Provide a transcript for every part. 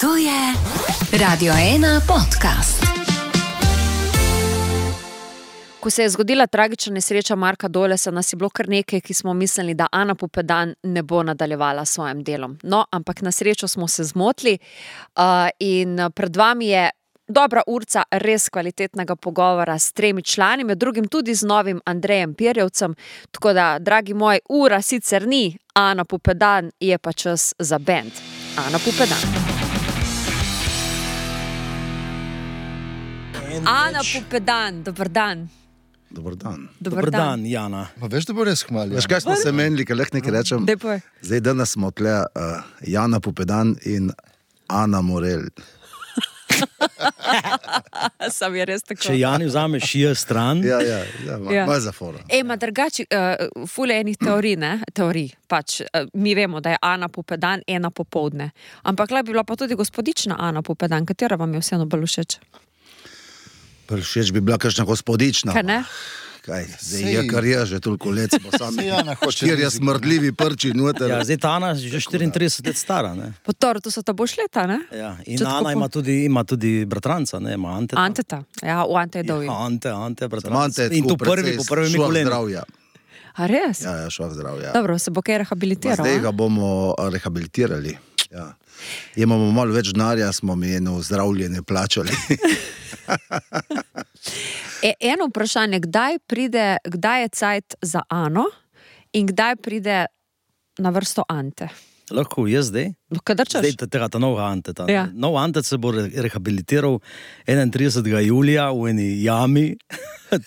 To je Radio 1 podcast. Ko se je zgodila tragična nesreča Marka Dolesa, nas je bilo kar nekaj, ki smo mislili, da Ana Pupedan ne bo nadaljevala s svojim delom. No, ampak na srečo smo se zmotili in pred vami je dobra urca res kvalitetnega pogovora s 3 člani, med drugim tudi z novim Andrejem Pirjevcem. Tako da, dragi moji, ura sicer ni Ana Pupedan, je pa čas za bend Ana Pupedan. Ana Pupedan, dober dan. Dobar dan. Dobar dan, Jana. Pa veš, da bo res hvalil. Veš, kaj smo se menili, kaj lahko nekaj rečem? Zdaj danes smo tle Jana Pupedan in Ana Morel. Sam je res tako. Če Jani vzameš stran. Ja, malo zafora. Ma drugače, ful je enih teorij, ne? Teorij, pač. Mi vemo, da je Ana Pupedan ena popoldne. Ampak le bi bila pa tudi gospodična Ana Pupedan. Katera vam je vseeno bolj všeč? Všeč bi bila kakšna gospodična. Kaj ne? Kaj, zdaj je kar je že toliko let, smo sami štirje smrdljivi prči noter. Ja, zdaj ta Ana že 34 let stara, ne? Potoro, to so ta boš leta, ne? Ja, in Ana ima tudi bratranca, ne? Ima Anteta. Anteta, ja, v Ante je dolji. Ja, Ante, bratranca. Ante je in to prvi po prvem kolenu. Zdravja. A res? Ja, šlo zdravja. Dobro, se bo kaj rehabilitiral, zdaj ga bomo rehabilitirali, ja. Imamo malo več denarja, smo mi eno zdravljenje plačali. Eno vprašanje, kdaj je cajt za Ano in kdaj pride na vrsto Ante? Lahko, jaz zdaj? Kadar češ? Zdaj tega novega Anteta. Ja. Nov Antet se bo rehabilitiral 31. julija v eni jami,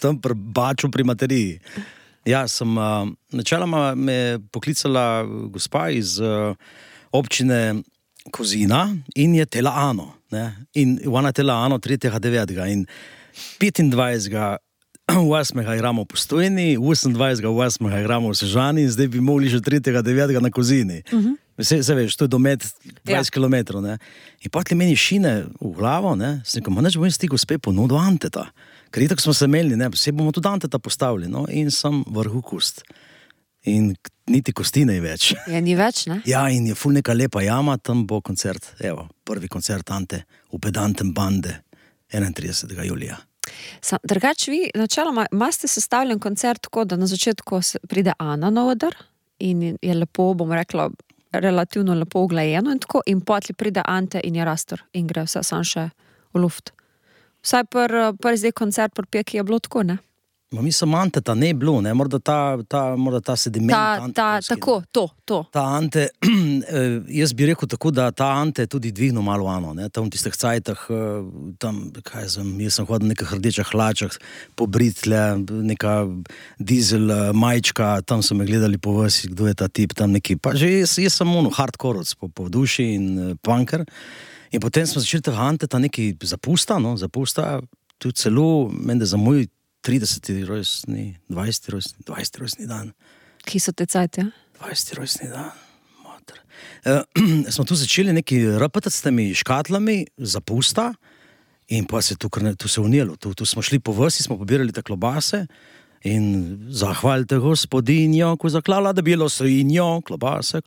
tam pri Baču pri Materiji. Ja, načeloma me je poklicala gospa iz občine Kozina in je tela Ano. Ne? In ona tela Ano 3.9. In 25. 8. igramo v Postojni, 28. 8. igramo v Sežani in zdaj bi mogli že 3.9. na Kozini. Se veš, to je domet 20 km. Ne? In potem meni šine v glavo, ne? Sem rekel, neč bom jaz ti gospe ponudil Anteta. Ker itak smo se menili, ne? Vse bomo tudi Anteta postavili. No? In sem vrhu kost. In niti kosti ne več. Ja, ni več, ne? Ja, in je ful neka lepa jama, tam bo koncert, evo, prvi koncert Ante v Pedantem bande 31. julija. Drugače vi, načeloma, imate sestavljen koncert tako, da na začetku pride Ana na oder in je lepo, bom rekla, relativno lepo uglajeno in tako, in potli pride Ante in je rastor in gre vse sam še v luft. Vsaj prvi zdaj koncert pri Peki je bilo tako, ne? Mislim, Anteta ne je bilo, ne, morda ta sediment Ante. Tako, to. Ta Ante, jaz bi rekel tako, da ta Ante je tudi dvignil malo Ano, ne, tam v tistih cajtah, tam, jaz sem hodil v nekih rdečih hlačah, pobritle, neka dizel majčka, tam so me gledali po vasi, kdo je ta tip, tam neki, pa že jaz sem hardcore po duši in punker, in potem smo začeli tega Anteta neki zapusta, tudi celo, mende za moj 30. rojstni, 20. rojstni dan. Ki so te cajte, ja? 20. rojstni dan, mater. Smo tu začeli neki rapatati s temi škatlami zapusta in pa se tu se unijelo. Tu smo šli po vasi, smo pobirali te klobase in zahvalite gospodinjo, ko zaklala, da bilo svinjo, klobase.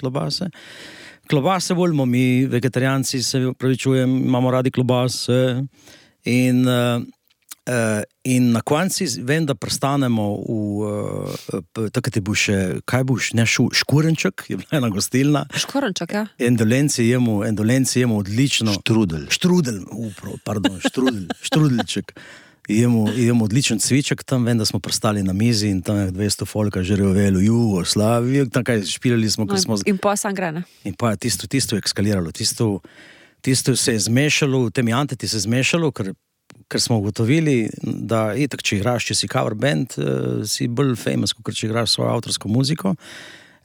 Klobase volimo mi, vegetarijanci, se upravičujem, imamo radi klobase in na konci vem, da prestanemo takrat je bil še, kaj boš, ne škurenček, je bila ena gostilna. Škurenček, ja. Endolenci jemo odlično. Štrudelček. Jemo odličen cviček, tam vem, da smo prestali na mizi in tam je 200 folka že revelo, Jugoslavijo, tam kaj špilali smo, ko smo... In pa sam gre, ne? In pa tisto je ekskaliralo, tisto se je zmešalo, temi Anteti se je zmešalo, ker smo ugotovili, da itak, če igraš, če si cover band, si bolj famous, kot če igraš svojo avtorsko muziko.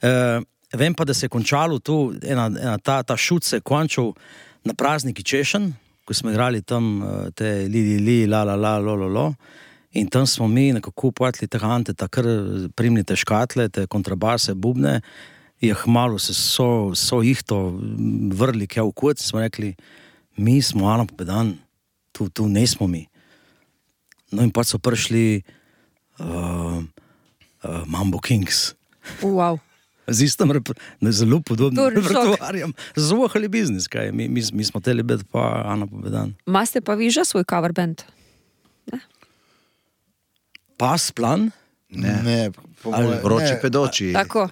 Vem pa, da se je končalo tu, ta šut se je končal na prazniki Češen, ko smo igrali tam te li, la, lo, in tam smo mi nekako upatili tega Anteta, kar primnite škatle, te kontrabase, bubne, malo se so jih to vrli, kaj v kot, smo rekli, mi smo Ana Pupedan, tu ne smo mi. No in pa so prišli Mambo Kings. Wow. Z istim zelo podobnim repertoarjem. Zvohali biznis, kaj. Mi smo teli biti pa Ana Popedan. Maste pa vi že svoj cover band? Pas, plan? Ne. Vroči pedoči. Tako.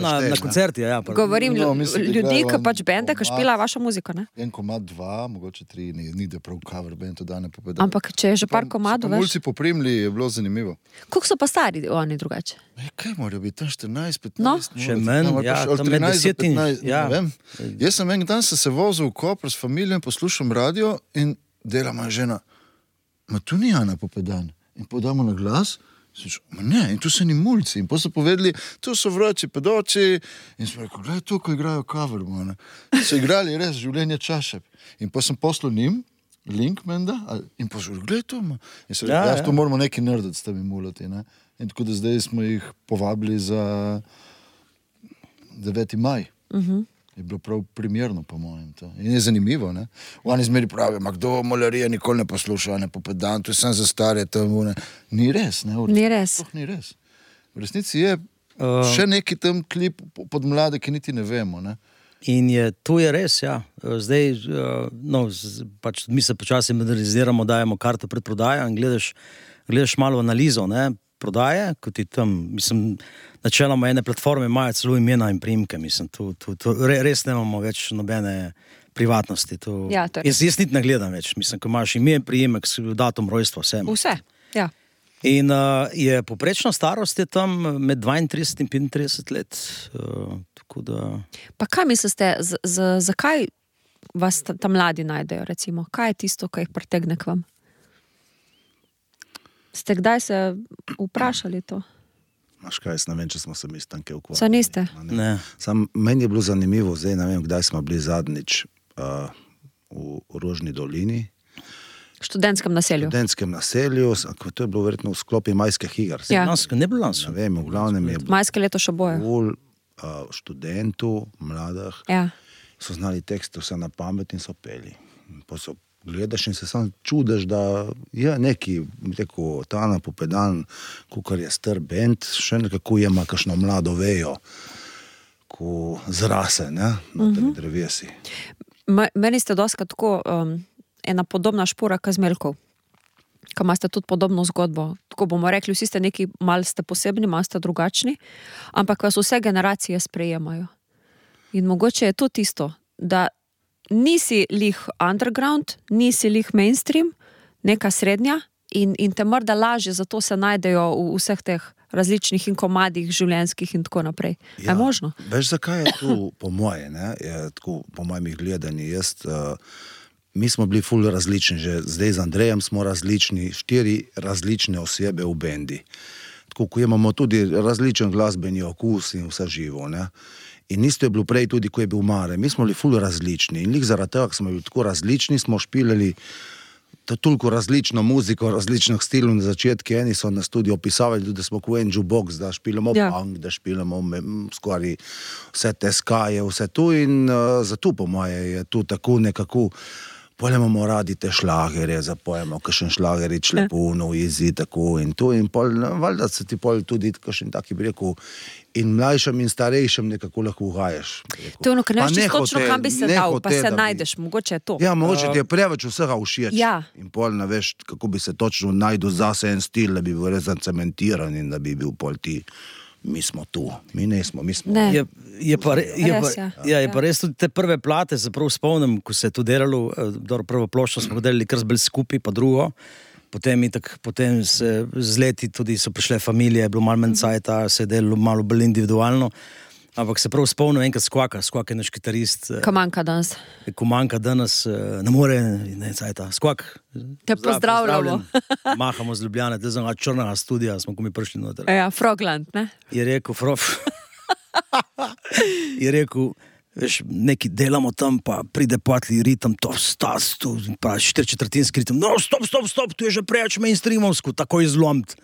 Na koncerti, ja. Govorim ljudi, ki pač bende, ki špila vašo muziko, ne? En komad, 2, mogoče 3, ni da prav cover band, to da ne Popedan. Ampak če je že par komadov, veš? Mulci poprimli, je bilo zanimivo. Koliko so pa stari oni drugače? Kaj morajo biti, tam 14, 15? No. Še menj, ja, tam med 10 in... Ja. Ne vem. Jaz sem en dan se vozil v Koper s familijo in poslušam radio in dela moja žena, ma tu ni Ana Popedan. In podamo na glas, ne, in tu so ni mulci. In pa so povedali, tu so vroči pedoči. In smo rekli, gledaj to, ko igrajo cover. So igrali res življenje Čašep. In pa sem poslal njim, link menda, in pa so rekli, gledaj to. In so rekli, to moramo neki nerdati s temi mulati. Ne? In tako da zdaj smo jih povabili za 9. maj. Je bilo prav primerno, po mojem. To. In je zanimivo, ne? Oni zmeri pravijo, kdo malarija nikoli ne posluša, ne Popedan, to je sam za stare, tam, ne. Ni res, ne? Ni res. Ni res. V resnici je še neki tam klip pod mlade, ki niti ne vemo, ne? In to je res, ja. Zdaj, pač mi se počasi moderniziramo, dajemo karto pred prodajo in gledaš malo analizo, ne? Prodaje, kot je tam, mislim, načeloma ene platforme imajo celo imena in priimke, mislim, res nemamo več nobene privatnosti. Ja, jaz niti ne gledam več, mislim, ko imaš ime, priimek, datum rojstva, vse, ja. In je poprečna starost je tam med 32 in 35 let, tako da... Pa kaj mislite, zakaj vas ta mladi najdejo, recimo? Kaj je tisto, kaj jih pritegne k vam? Ste kdaj se vprašali to? Maš kaj, jaz ne vem, če smo se mi stanke ukvarjali. Sa niste? Ne. Meni je bilo zanimivo, zdaj ne vem, kdaj smo bili zadnjič v Rožni dolini. Študentskem naselju. To je bilo verjetno v sklopi majskih iger. Ja. Ne bilo lansko. Ne vem, v glavnem je bilo. Majske leto še boje. Študentu, mladah, so znali tekste vse na pamet in so peli. Pa so gledaš in se sam čudaš, da je neki, tako, ta Ana Popedan, kukar je star bend, še nekako ima kakšno mlado vejo, ko zrase, ne, na temi drevesi. Meni ste doskrat tako ena podobna špora Kazmelkov, ko imate tudi podobno zgodbo. Tako bomo rekli, vsi ste neki, malo ste posebni, malo ste drugačni, ampak vas vse generacije sprejemajo. In mogoče je to tisto, da nisi lih underground, nisi lih mainstream, neka srednja in te morda lažje, zato se najdejo v vseh teh različnih in komadih življenjskih in tako naprej. Ja, je možno? Veš, zakaj je tu po moje, ne? Je tako po mojem gledanju. Mi smo bili ful različni, že zdaj z Andrejem smo različni, 4 različne osebe v bendi. Tako, ko imamo tudi različen glasbeni okus in vse živo, ne? In isto je bilo prej tudi, ko je bil Mare. Mi smo bili ful različni in lih zaradi tega, ko smo bili tako različni, smo špilali toliko različno muziko, različnih stilov na začetku. Eni so na studiu opisavali tudi, da smo kot en jukebox, da špilamo punk, da špilamo skoraj vse te skaje, vse tu in zato po moje je tu tako nekako. Pol imamo radi te šlagerje, zapojemo kakšen šlagerič, Lepuno, Izi, tako in to. In pol, valjda se ti pol tudi kakšen taki bi rekel, in mlajšem in starejšem nekako lahko ugajaš. To je ono, ker ne veš točno, kam bi se dal, pa se najdeš, mogoče je to. Ja, mogoče ti je preveč vsega všeč. Ja. In pol ne veš, kako bi se točno najdel zase en stil, da bi bil res zacementiran in da bi bil pol ti. Mi smo tu, mi nismo, mi smo. Ne. Je pa res tudi te prve plate, se prav spomnim, ko se je to delalo, prvo ploščo smo delali kar zbili skupaj, pa drugo, potem se z leti tudi so prišle familije, je bilo malo manj cajta, se je delalo malo bolj individualno, ampak se prav spomnim enkrat Skvak je naš kitarist. Ko manjka danes, ne more, ne cajta, Skvak. Te pozdravljamo. Mahamo z Ljubljane, te znam črnega studija, smo ko mi prišli noter. Ja, Frogland, ne? Je rekel, veš, neki delamo tam, pa pride patli ritem, to stas, tu, pa 4/4 ritem, no, stop, tu je že preveč mainstreamovsko, takoj zlomt.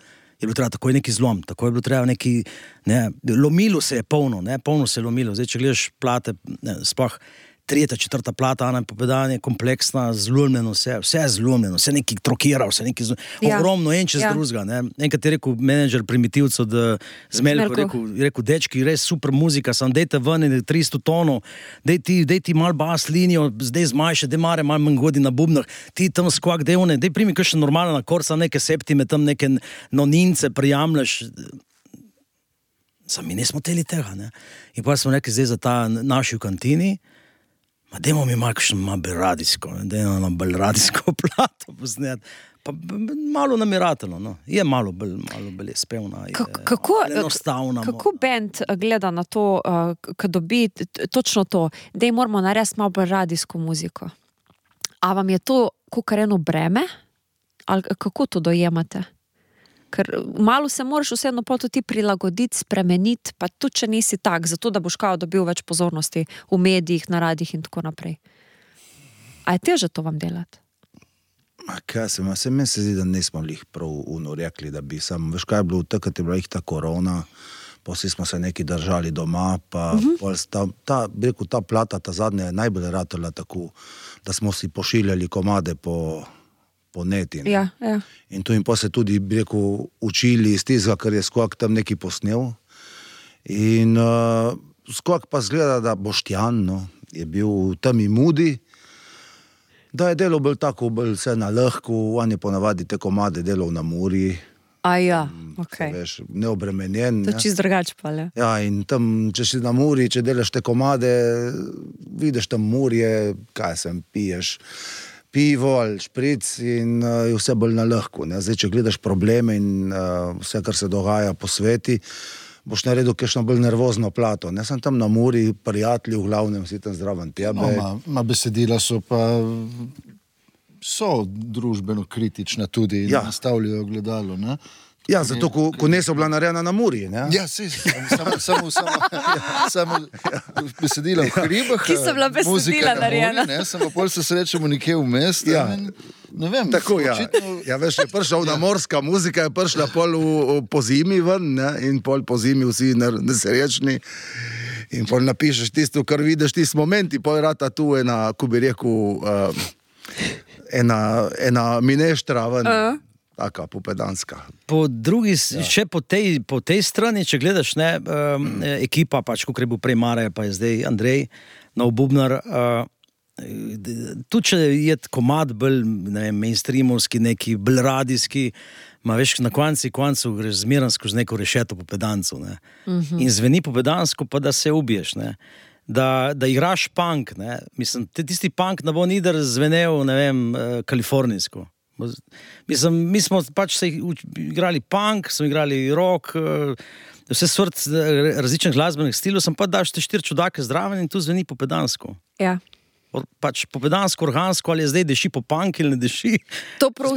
Je bilo treba takoj neki zlom, tako je bilo treba neki, ne, lomilo se je polno se je lomilo. Zdaj, če gledaš plate, sploh tretja, četrta plata, Ana Popedan je kompleksna, zlomljeno vse je zlomljeno, vse neki trokira, vse neki ogromno, en čez drugega, ne. Enkrat je rekel menedžer Primitivcev, da Zmeljko, rekel, dečki, res super muzika, sam dejte ven 300 tonov, dej ti mal bas linijo, zdaj zmanjše, dej mare mal manj godi na bubnah, ti tam skvak dejone, dej primi kakšen normalen akord, sam neke septime, tam neke nonince prijamljaš. Sam mi nismo teli tega, ne. In pa smo rekli zdaj za ta naši v kantini, ma dajmo mi malo kakšno radijsko, dajmo nam bolj radijsko plato posnet. Pa malo namiratelo, no. Je malo bolj je spevna, je enostavna. Kako band gleda na to, ko dobi točno to, daj moramo narediti malo bolj radijsko muziko? A vam je to kakor eno breme? Ali kako to dojemate? Ker malo se moraš vseeno pol tudi prilagoditi, spremeniti, pa tudi če nisi tak, zato da boš kao dobil več pozornosti v medijih, na radijih in tako naprej. A je teže to vam delati? Meni se zdi, da nismo lih prav rekli, da bi veš kaj je bilo, takrat je bila ta korona, pa vsi smo se neki držali doma, pa ta plata, ta zadnja je najbolj ratala tako, da smo si pošiljali komade po neti. Ja. In to jim pa se tudi, bi rekel, učili iz tizga, ker je Skok tam neki posnel. In Skok pa zgleda, da Boštjan, no, je bil v temi mudi, da je delal bolj tako, bolj vse na lahko, on je ponavadi te komade delal na Muri. Okay. Veš, neobremenjen. To je čist drugače pa, le. Ja, in tam, če si na Muri, če delaš te komade, vidiš tam Murje, piješ pivo ali špric in je vse bolj na lahko. Zdaj, če gledaš probleme in vse, kar se dogaja po sveti, boš naredil kakšno bolj nervozno plato. Ne sem tam na Muri, prijatelji v glavnem, si tam zraven tebe. Besedila so družbeno kritična tudi in nastavljajo gledalo, ne? Ja, zato, ko niso bila narejena na Muri, ne? Ja, samo besedila v hribah, ki so bila besedila narejena. Samo pol se srečamo nekje vmes, ne vem. Tako, ja, veš, je prišla morska muzika, je prišla pol po zimi ven, ne? In pol po zimi vsi nesrečni. In pol napišeš tisto, kar vidiš, tisti momenti, pol rata tu ena, ko bi rekel, ena mineštra ven. Taka, popedanska. Po drugi, še po tej strani, če gledaš, ne, ekipa, pač, ko je bil prej Mare, pa je zdaj Andrej, nov bubnar, tudi če je komad bolj, ne vem, mainstreamovski, neki bolj radijski, ma veš, na koncu greš zmeran skozi neko rešeto popedancu, ne. In zveni popedansko, pa da se ubiješ, ne. Da igraš punk, ne. Mislim, tisti punk ne bo nider zvenel, ne vem, kalifornijsko. Mislim, mi smo pač se igrali punk, smo igrali rock, vse sort različnih glasbenih stilov, sem pa daš te 4 čudake zdraven in tu zveni popedansko. Ja. Pač popedansko, organsko, ali je zdaj deši po punk ali ne deši. To prav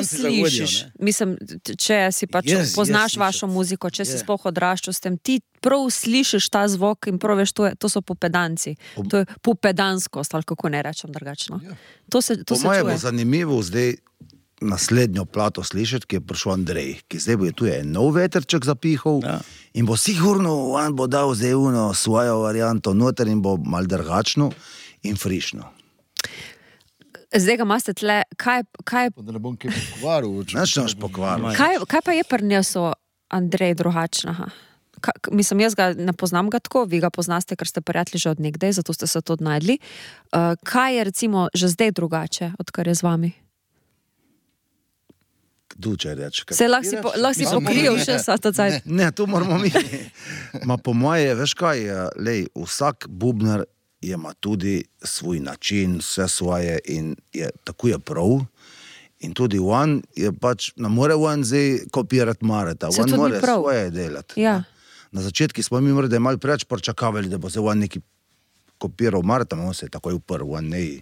slišiš. Mislim, če si pač poznaš vašo muziko, če si sploh odraščal s tem, ti prav slišiš ta zvok in prav veš, to so popedanci. To je popedanskost, ali kako ne rečem drugačno. To se čuje. Po moje bo zanimivo zdaj naslednjo plato slišati, ki je prišel Andrej, ki zdaj bo tu je nov veterček zapihal in bo sigurno, on bo dal zdaj svojo varianto noter in bo mal drugačno in frišno. Zdaj ga imate tle, kaj... Da ne bom kaj pokvaril. Nečnaš pokvaril. Kaj pa je prinesel Andrej drugačnega? Mislim, jaz ga ne poznam ga tako, vi ga poznaste, ker ste prijatelji že od nekdaj, zato ste se to odnajdli. Kaj je recimo že zdaj drugače, odkar je z vami? Duče reč. Se lahko si pokril še sa to cajt. Ne, to moramo mi. Ma po moje, veš kaj, lej, vsak bubnar ima tudi svoj način, vse svoje in tako je prav. In tudi on je pač, ne more on zdaj kopirati Mareta, on more svoje delati. Ja. Na začetki smo mi morda malo preč pričakavali, da bo se on neki kopiral Mareta, on se je takoj uprl, on ne.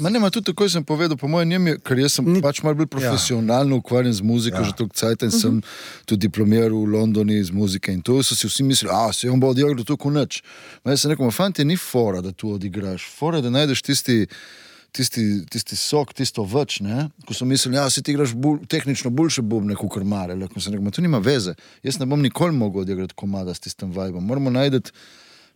Ma nema, tudi tako sem povedal, po mojem njem je, ker jaz sem pač malo bolj profesionalno ukvarjen z muziko, že toliko cajta in sem tudi diplomiral v Londoni z muzike in to so si vsi mislili, se on bo odigral toliko nič. Ma jaz sem rekel, fanti, ni fora, da tu odigraš, fora, da najdeš tisti sok, tisto več, ne? Ko sem mislil, si ti igraš tehnično boljše bubne, kakor Mare, ko sem rekel, to nima veze, jaz ne bom nikoli mogel odigrati komada s tistem vibom, moramo najdeti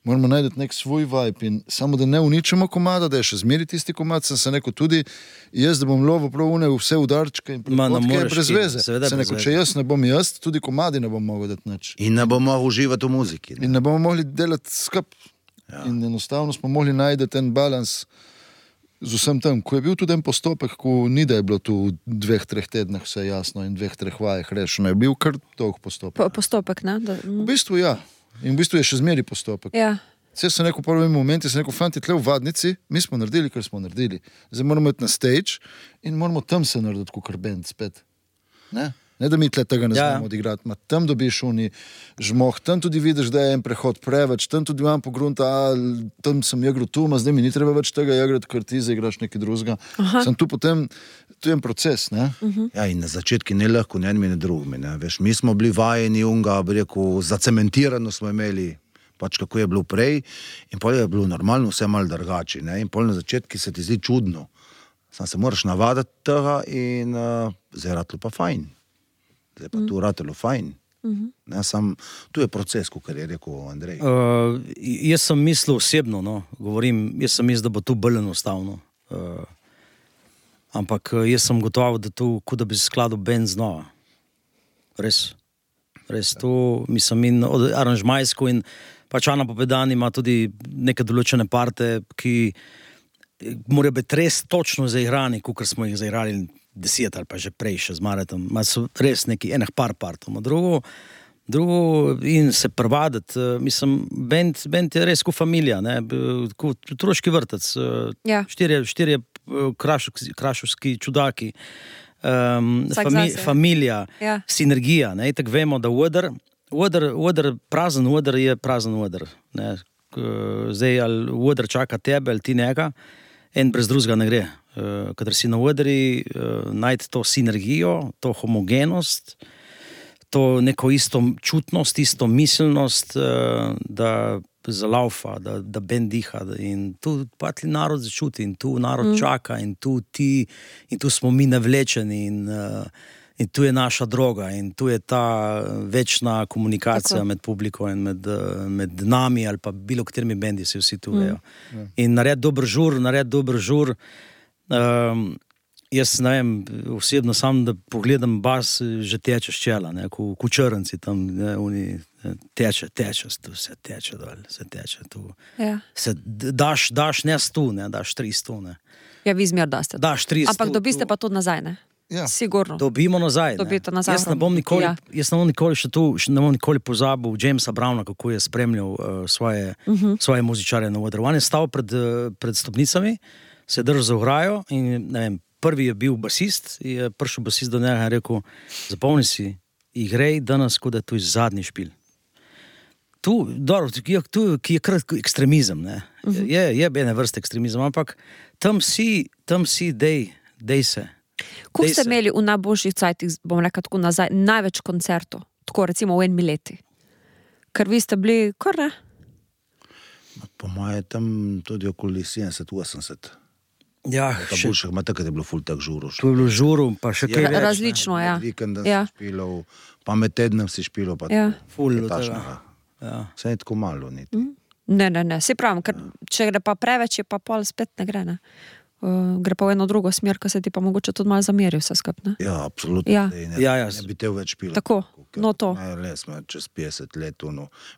moramo najti nek svoj vibe in samo da ne uničimo komada, da je še zmeri tisti komad, sem se rekel tudi jaz, da bom lovil prav vse udarčke in prepotke brez veze. Se rekel, če jaz ne bom jaz, tudi komadi ne bom mogel dati nič. In ne bomo mogli uživati v muziki. Ne? In ne bomo mogli delati skup. Ja. In enostavno smo mogli najti ten balans z vsem tem, ko je bil tudi en postopek, ko ni da je bilo tu v 2-3 tednah vse jasno in 2-3 vajah rešeno, je bil kar dolg postopek. Postopek, ne? V bistvu ja. In v bistvu je še zmeri postopek. Ja. Vse sem rekel v prvem momentu, sem rekel, fanti, tle v vadnici, mi smo naredili, kar smo naredili. Zdaj moramo iti na stage in moramo tam se narediti, kot band spet. Ne da mi tle tega ne znamo odigrati, tam dobiš oni žmoh, tam tudi vidiš, da je en prehod preveč, tam tudi imam pogrunta, tam sem igral tu, zdaj mi ni treba več tega igrati, ker ti zaigraš nekaj drugega. Sem tu potem, tu je en proces, ne? Ja, in na začetki ne lahko, ne enimi, ne drugimi, ne? Veš, mi smo bili vajeni unga, bi rekel, zacementirano smo imeli, pač kako je bilo prej, in pol je bilo normalno vse malo drugače, ne? In pol na začetki se ti zdi čudno. Sam se moraš navadati tega in zdaj ratlo pa fajn. Zdaj pa tu ratelo fajn. Ne, tu je proces, kot je rekel Andrej. Jaz sem mislil osebno, jaz sem mislil, da bo tu bolj enostavno. Ampak jaz sem gotovo, da tu, kot da bi se skladil band znova. Res tu, mislim, in aranžmajsko in pač Ana Popedan ima tudi neke določene parte, ki morajo biti res točno zaigrani, kot smo jih zaigrali 10 ali pa že prej še z Maretom. So res neki enih par partov. Drugo in se prvaditi, mislim, band je res kot familija, ne, kot otroški vrtec. Štirje krašovski čudaki, familija, sinergija, ne, tako vemo, da prazen oder je prazen oder, ne. Zdaj, ali oder čaka tebe, ali ti njega, en brez drugega ne gre. Kadar si na odri, najti to sinergijo, to homogenost, to neko isto čutnost, isto miselnost, da zalaufa, da bend diha. In tu patli narod začuti in tu narod čaka in tu smo mi navlečeni in tu je naša droga in tu je ta večna komunikacija med publiko in med nami ali pa bilo katerimi bendi se vsi tu vejo. In narediti dober žur, jaz ne vem, osebno sam, da pogledam bas, že teče ščela, ne, ko črnci tam, ne, oni teče, vse teče dol, se teče tu. Ja. Se daš ne 100, ne, daš 300, ne. Ja, vi zmer daste. Daš 300. Ampak dobiste pa tudi nazaj, ne? Ja. Sigurno. Dobimo nazaj, ne. Jaz ne bom nikoli pozabil Jamesa Browna, kako je spremljal svoje muzičare na odru. On je stal pred stopnicami, se je držal za ograjo in ne vem, prvi je bil basist, je prišel basist do njega in rekel, zapomni si, igrej danes, kot da je tu zadnji špil. Tu, dobro, ki je krat ekstremizem, ne. Je ene vrste ekstremizem, ampak tam si, dej se. Kako ste imeli v najboljših cajtih, bom rekel tako nazaj, največ koncertov, tako recimo v 1 leti? Ker vi ste bili, kar ne? Po moje tam tudi okoli 70-80. Ja, boljših ima takrat je bilo ful tak žuru. Tu je bilo žuru, pa še kaj več. Različno, ja. Vikenda si špilal, pa med tednem si špilal, pa ful tačnega. Vse je tako malo niti. Ne, se pravim, ker če gre pa preveč, je pa pol spet ne gre, ne. Gre pa v eno drugo smer, ko se ti pa mogoče tudi malo zameri vse skup, ne? Ja, absolutno. Ne bi tev več špilal. Tako, no to. Ne, smo čez 50 let,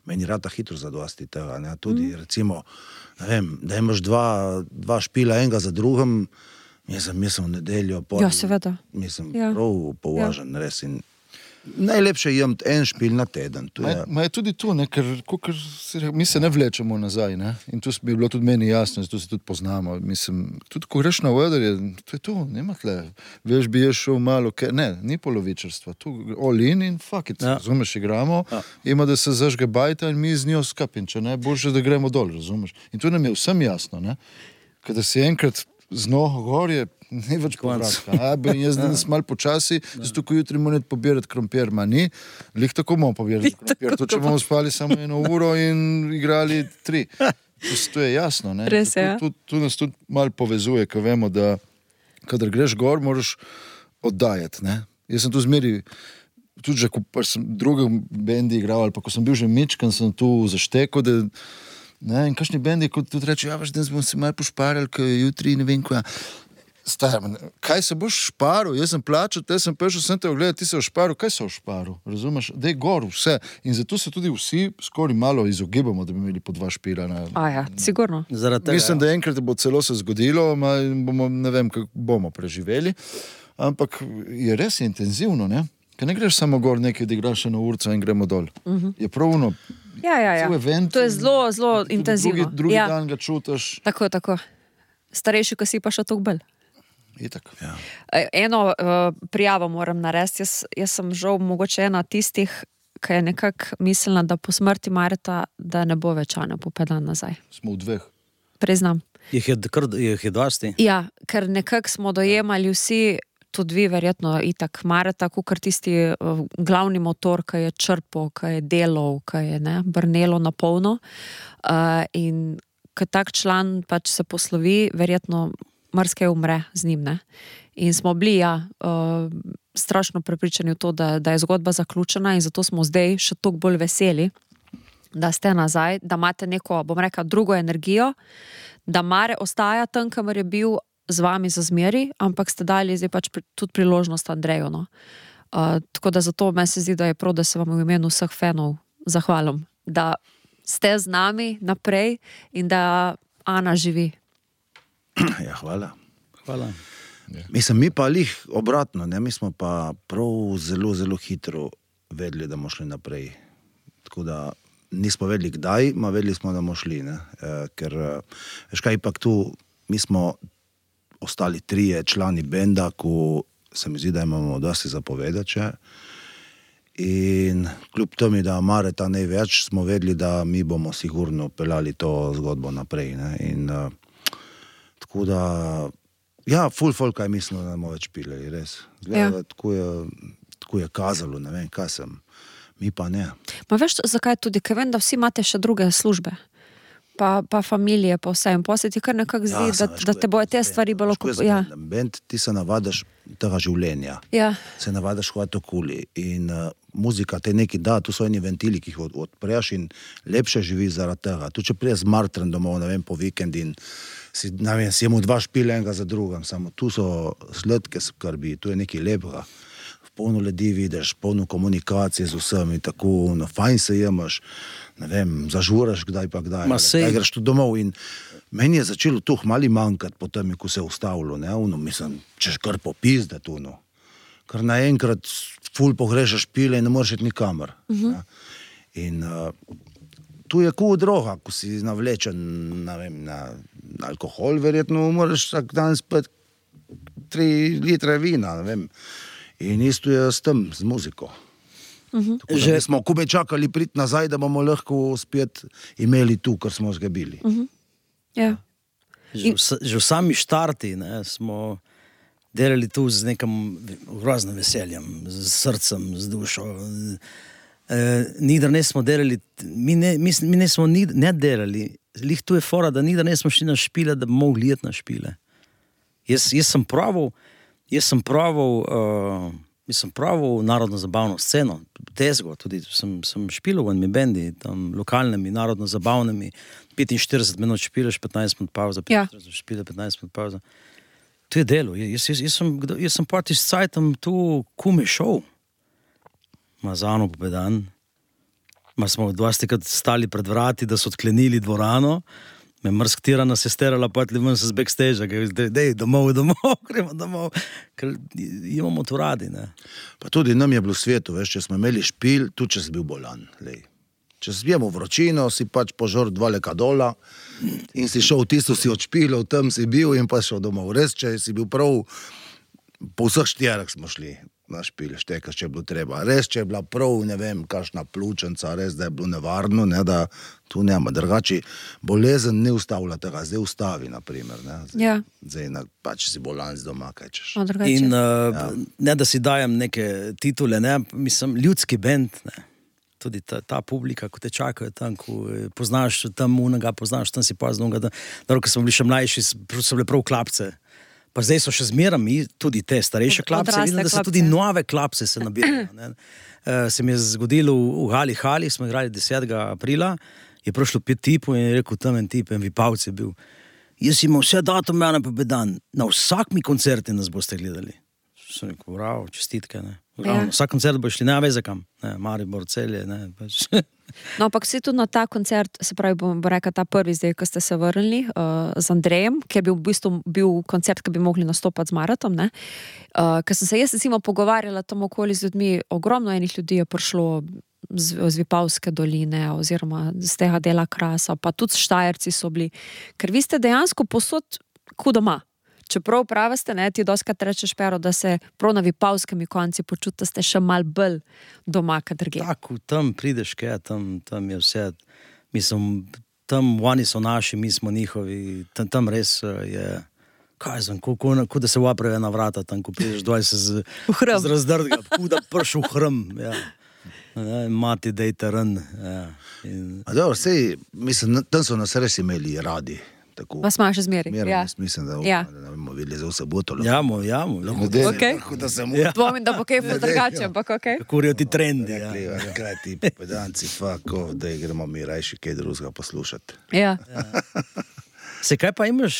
meni rata hitro zadosti tega, ne, tudi recimo, ne vem, da imaš dva špila enega za drugim, mislim v nedeljo, ja, seveda. Mislim, prav považen, res in najlepše jemati en špil na teden. Je tudi tu, ne, ker mi se ne vlečemo nazaj, ne, in tu bi bilo tudi meni jasno, zato se tudi poznamo, mislim, tudi ko greš na oder, to je tu, nema tle, veš, bi je šel malo, ne, ni polovičarstva, tu all in fuck it, razumeš, igramo, ima da se zažge bajta in mi z njo skapim, če ne, boljše da gremo dol, razumeš, in tu nam je vsem jasno, ne, kada si enkrat z noho gor je, ni več povratka. Jaz danes malo počasi, zato ko jutri moram pobirati krompir, ni. Lih tako bomo pobirati krompir. To, če bomo spali samo 1 uro in igrali 3. To je jasno, ne? Res je. Tu nas tudi malo povezuje, ko vemo, da kadar greš gor, moraš oddajati, ne? Jaz sem tu zmeri, tudi že, ko sem druge bendi igral, ali pa ko sem bil že mičkan, sem tu zaštekal, Ne, in kakšni bendi, kot tudi reče, ja, veš, da smo se malo pošparjali, ker jutri ne vem kaj. Star, kaj se boš šparil? Jaz sem plačal, te sem prišel, sem te ogledal, ti se ošparil, kaj se ošparil? Razumeš? Dej gor vse. In zato se tudi vsi skoraj malo izogibamo, da bi imeli po 2 špila. Sigurno. Mislim, da enkrat bo celo se zgodilo, bomo, ne vem, kako bomo preživeli, ampak je res intenzivno, ne? Ker ne greš samo gor nekaj, da igraš eno urco in gremo dol. Je pravno. Ja. Event, to je zelo, zelo intenzivno. Drugi dan ga čutiš. Tako. Starejši, ko si pa še toliko bolj. Itak. Ja. Eno prijavo moram narediti. Jaz sem žal mogoče ena tistih, ki je nekako mislila, da po smrti Mareta, da ne bo več Ana Pupedan nazaj. Smo v 2. Priznam. Jih je dosti? Ja, ker nekako smo dojemali vsi, tudi vi verjetno itak Mareta, kakor tisti glavni motor, ki je črpal, ki je delal, ki je brnelo na polno. In ko tak član pač se poslovi, verjetno marsikaj umre z njim, ne? In smo bili, strašno prepričani v to, da je zgodba zaključena in zato smo zdaj še toliko bolj veseli, da ste nazaj, da imate neko, bom rekla, drugo energijo, da Mare ostaja tam, kamor je bil z vami za zmeri, ampak ste dali zdaj pač tudi priložnost Andreju, no. Tako da zato me se zdi, da je prav, da se vam v imenu vseh fanov zahvalim, da ste z nami naprej in da Ana živi. Ja, hvala. Ja. Mislim, mi pa lih obratno, ne? Mi smo pa prav zelo, zelo hitro vedeli, da bomo šli naprej. Tako da nismo vedeli kdaj, ma vedeli smo, da bomo šli, ne? Ker, veš kaj, ipak tu, mi smo ostali 3 člani benda, ko se mi zdi, da imamo dosti zapovedati še. In kljub temu, da Mareta ne več, smo vedeli, da mi bomo sigurno peljali to zgodbo naprej, ne? In tako da, ja, ful folka je mislil, da ne bomo več pili, res. Gleda, tako je kazalo, ne vem, kaj sem. Mi pa ne. Ma veš, zakaj tudi, ker vem, da vsi imate še druge službe. Pa familije, pa vse. In posle ti kar nekako zdi, da te bojo te stvari bolj Bend, ti se navadaš tega življenja. Ja. Se navadaš hvat okoli. In muzika te neki da, tu so eni ventili, ki jih odpreš in lepše živi zaradi tega. Tu če prije z Martren domov, ne vem, po vikend in si jemo 2 špile enega za drugim, samo tu so sladke skrbi, tu je nekaj lepega. Polno ljudi vidiš, polno komunikacije z vsemi, tako, no, fajn se jemaš, ne vem, zažuraš kdaj pa kdaj, kdaj greš tu domov in meni je začelo tuh mali manjkati po tem, ko se je ustavilo, ne, mislim, češ kar popizde tu, no, ker naenkrat ful pogrešaš pile in ne moreš iti nikamor. In tu je droga, ko si navlečen, ne vem, na alkohol, verjetno moraš vsak dan spet 3 litre vina, ne vem. In isto je s tem, z muziko. Že smo kube čakali priti nazaj, da bomo lahko spet imeli tu, kar smo zgabili. Ja. Že v sami štarti, ne, smo delali tu z nekim groznim veseljem, z srcem, z dušo. Nikdar ne smo delali, mi ne smo ne delali, lih tu je fora, da nikdar ne smo šli na špile, da bi mogli jeti na špile. Jaz sem pravil narodno-zabavno sceno, tezgo, tudi sem špilil v enimi bendi, tam lokalnimi, narodno-zabavnimi, 45 minut špileš, 15 minut pauza, 15 minut pauza. To je delo, jaz sem pa s cajtom tu kume šov, ma za Ano Pupedan, ma smo 20krat stali pred vrati, da so odklenili dvorano, me mrskatira nas je sterala, potli ven se z backstage, dej, domov, gremo domov, ker imamo to radi, ne. Pa tudi nam je bilo v svetu, veš, če smo imeli špil, tudi če si bil bolan, lej. Če si imel vročino, si pač požor 2 lekadola in si šel tisto, si odšpilil, tam si bil in pa šel domov. Res, če si bil prav, po vseh 4 smo šli na špil, štekaš, če je bilo treba. Res, če je bila prav, ne vem, kakšna pljučnica, res, da je bilo nevarno, ne, da tu nema. Drugače, bolezen ne ustavlja tega, zdaj ustavi, naprimer, ne. Zdaj, pač si bolan z doma, kaj češ. In ne, da si dajem neke titule, ne, mislim, ljudski bend, ne. Tudi ta publika, ko te čakajo tam, ko poznaš tam unega, poznaš tam si pazno unega, da ko smo bili še mlajši, so bile prav klapce. Pa zdaj so še zmerami tudi te starejše klapse, vidim, da se tudi nove klapse se nabirajo. Se mi je zgodilo v Hali, smo igrali 10. aprila je prišlo 5 tipov in je rekel, tam en tip, en Vipavc je bil. Jaz imam vse datume Ana Popedan, na vsak mi koncerti nas boste gledali. Sem rekel, bravo, čestitke, ne. Ja. Vsak koncert bo šli, ne veze kam, ne, Maribor, Celje, ne, pač. No, ampak si tudi na ta koncert, se pravi, bom rekla ta prvi zdaj, ko ste se vrnili z Andrejem, ki je bil v bistvu koncert, ki bi mogli nastopati z Maratom, ne. Ker sem se jaz recimo pogovarjala tam okoli z ljudmi, ogromno enih ljudi je prišlo z Vipavske doline oziroma z tega dela Krasa, pa tudi Štajerci so bili, ker vi ste dejansko posod ko doma. Čeprav pravi ste, ne, ti doskrat rečeš, Pero, da se prav na Vipavskemi konci počuti, da ste še malo bolj doma, kad drugje. Tako, tam prideš, tam je vse, mislim, tam oni so naši, mi smo njihovi, tam res je, kaj znam, ko da se vaprejo na vrata, tam, ko prideš doj se z razdrdga, ko da prš v hrm, ja. Mati dejte ren, ja. A dobro, sej, mislim, tam so nas res imeli radi. Tako. Vas ima še zmeri. Ja. Mislim, da ne bomo videli za vse boto. Jamo. Okay. Dvomim, da bo kaj drugače, ampak okej. Kako je ti trendi, ja. Kaj ti Popedanci, da gremo mi rajši kaj drugega poslušati. Ja. Se, kaj pa imaš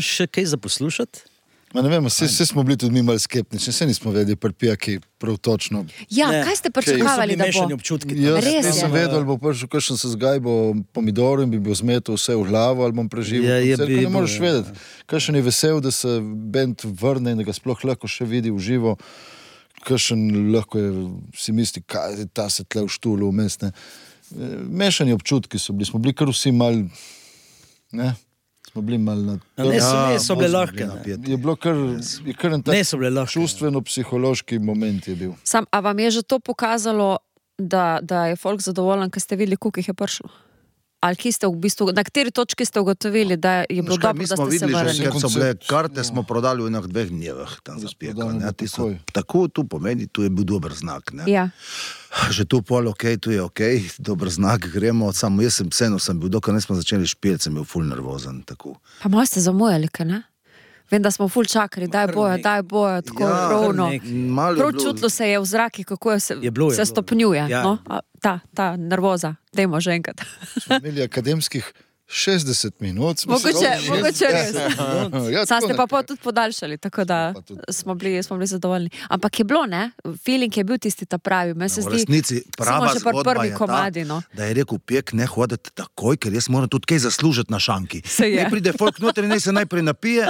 še kaj za poslušati? Ma ne vem, vse smo bili tudi mi malo skeptični, vse nismo vedeli pri pijaki prav točno. Ja, kaj ste pričakovali, da bo? Jaz sem vedel, ali bo prišel kakšen se zgajbo pomidorov in bi bil zmetel vse v glavo, ali bom preživel koncert, ne moreš vedeti. Kakšen je vesel, da se band vrne in da ga sploh lahko še vidi v živo, kakšen lahko je, si misli, kaj je ta se tle v štulu vmes, ne. Mešani občutki so bili, smo bili kar vsi mal, ne. Smo bili malo na to. Ne so bile lahke. Je bilo kar en tak čustveno-psihološki moment je bil. A vam je že to pokazalo, da je folk zadovoljen, ker ste videli, koliko jih je prišlo? Ali ki ste v bistvu, na kateri točki ste ugotovili, da je bilo dobro, da ste se vrnili? Ker so bile karte, smo prodali v enih 2 dnevih tam za Pijaka. Tako, tu pomeni, tu je bil dober znak. Ne? Ja. Že tu pol tu je dober znak, gremo, samo jaz sem bil, dokaj ne smo začeli špiliti, sem bil ful nervozen. Tako. Pa malo ste zamujali, kaj ne? Vem, da smo ful čakali, daj bojo, tako rovno. Prav čutilo se je v zraki, kako se stopnjuje. Ja. No? Ta nervoza. Dajmo že enkrat. Smo imeli akademskih 60 minut. Mogoče res. Sam ste pa tudi podaljšali, tako da smo bili zadovoljni. Ampak je bilo, ne? Feeling je bil tisti ta pravi. Meni se zdi, resnici, prava zgodba je komadi, no? Da je rekel Pijak, ne hoditi takoj, ker jaz moram tudi kaj zaslužiti na šanki. Ne pride folk noter in se najprej napije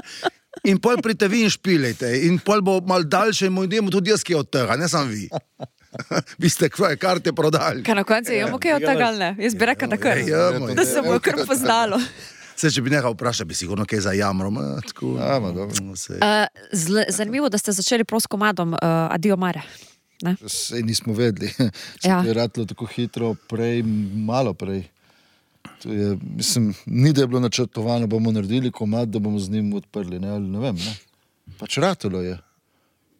in pol prite vi in špilejte. In pol bo mal daljše in idemo tudi jaz, ki je od tega, ne sam vi. Vi ste kvaje karte prodali. Kaj na koncu imamo kaj od tega, ne? Jaz bi rekel, da se bo kar poznalo. Se, če bi nekaj vprašal, bi sigurno kaj za jamrom. Zanimivo, da ste začeli prav s komadom Adio Mare. Sej nismo vedeli. Če je ratilo tako hitro prej, malo prej. To je, mislim, ni da je bilo načrtovano, bomo naredili komad, da bomo z njim odprli, ne vem, ne. Pač ratilo je.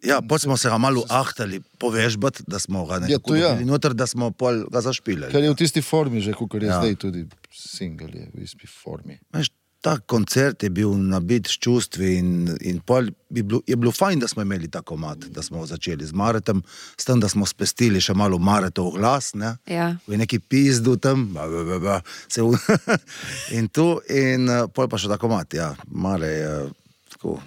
Ja, potem smo se ga malo ahtali povežbati, da smo ga nekako dobili noter, da smo pol ga zašpilali. Ker je v tisti formi že, kakor je zdaj tudi single je v isti formi. Veš, ta koncert je bil nabit s čustvi in pol je bilo fajn, da smo imeli ta komad, da smo začeli z Maretom, s tem, da smo spestili še malo Maretov glas, ne? Ja. V neki pizdu tam, in tu, in pol pa še ta komad, ja, Mare je tako.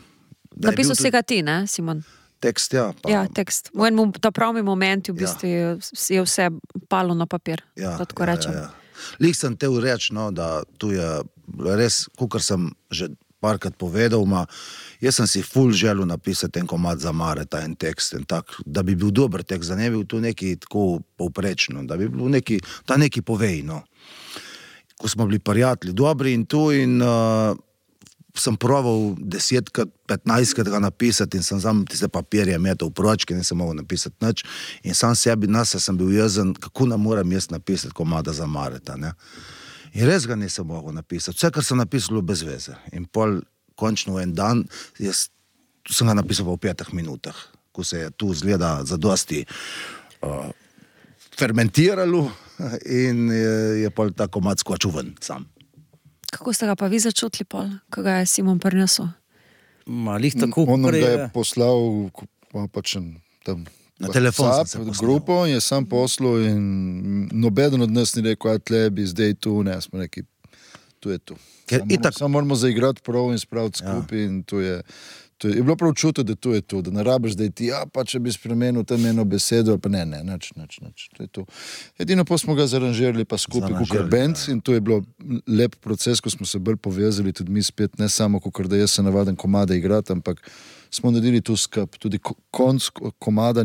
Napisal si ga ti, ne, Simon? Tekst, ja. Ja, tekst. V enem ta pravi momenti v bistvu je vse palo na papir, da tako rečem. Lih sem te reči, no, da tu je res, kakor sem že parkrat povedal, jaz sem si ful želel napisati en komad za Mareta, en tekst, da bi bil dober tekst, da ne bi bil tu neki tako povprečno, da bi bil neki, da neki povej, no. Ko smo bili prijatelji dobri in tu in sem proval 10-krat, 15-krat ga napisati in sem sam tiste papirje metal v pročke, nisem mogel napisati nič in sam sebi nas sem bil jezen, kako nam moram jaz napisati komada za Mareta, ne. In res ga nisem mogel napisati, vse, kar sem napisal bez veze. In pol, končno en dan, jaz sem ga napisal v 5 minutah, ko se je tu zgleda zadosti fermentiralo in je pol ta komad skočil ven sam. Kako ste ga pa vi začutili pol, ko ga je Simon prinesel? Malih tako. On nam ga je poslal pač tam Na telefon sem se WhatsApp, posnel. grupo in je sam poslal in nobeden od nas ni rekel, tle bi zdaj tu, ne, smo rekli, tu je tu. Samo moramo zaigrati prav in spraviti skupaj in tu je bilo prav čuti, da tu je tu, da ne rabiš zdaj ti, pa če bi spremenil tam eno besedo, pa ne, nič, to je tu. Edino pa smo ga zaranžirali pa skupaj, kukor band in to je bilo lep proces, ko smo se bolj povezali, tudi mi spet, ne samo kukor da jaz se navaden komade igrati, ampak smo naredili tu skup, tudi konc komada,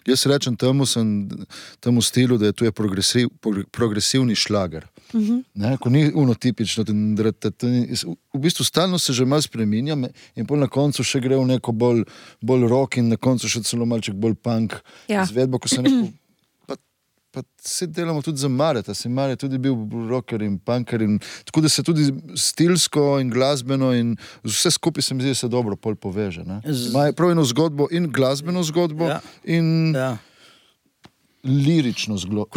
jaz rečem temu stilu, da je tu progresivni šlager. Ne, ko ni unotipično, v bistvu stalno se že malo spreminja in pol na koncu še gre v neko bolj rock in na koncu še celo malček bolj punk izvedbo, ko se neko pa se delamo tudi za Mareta, se Maret tudi bil rocker in punker in tako da se tudi stilsko in glasbeno in vse skupaj se mi zdi, da se dobro pol poveže. Ima prav eno zgodbo in glasbeno zgodbo in lirično zgodbo.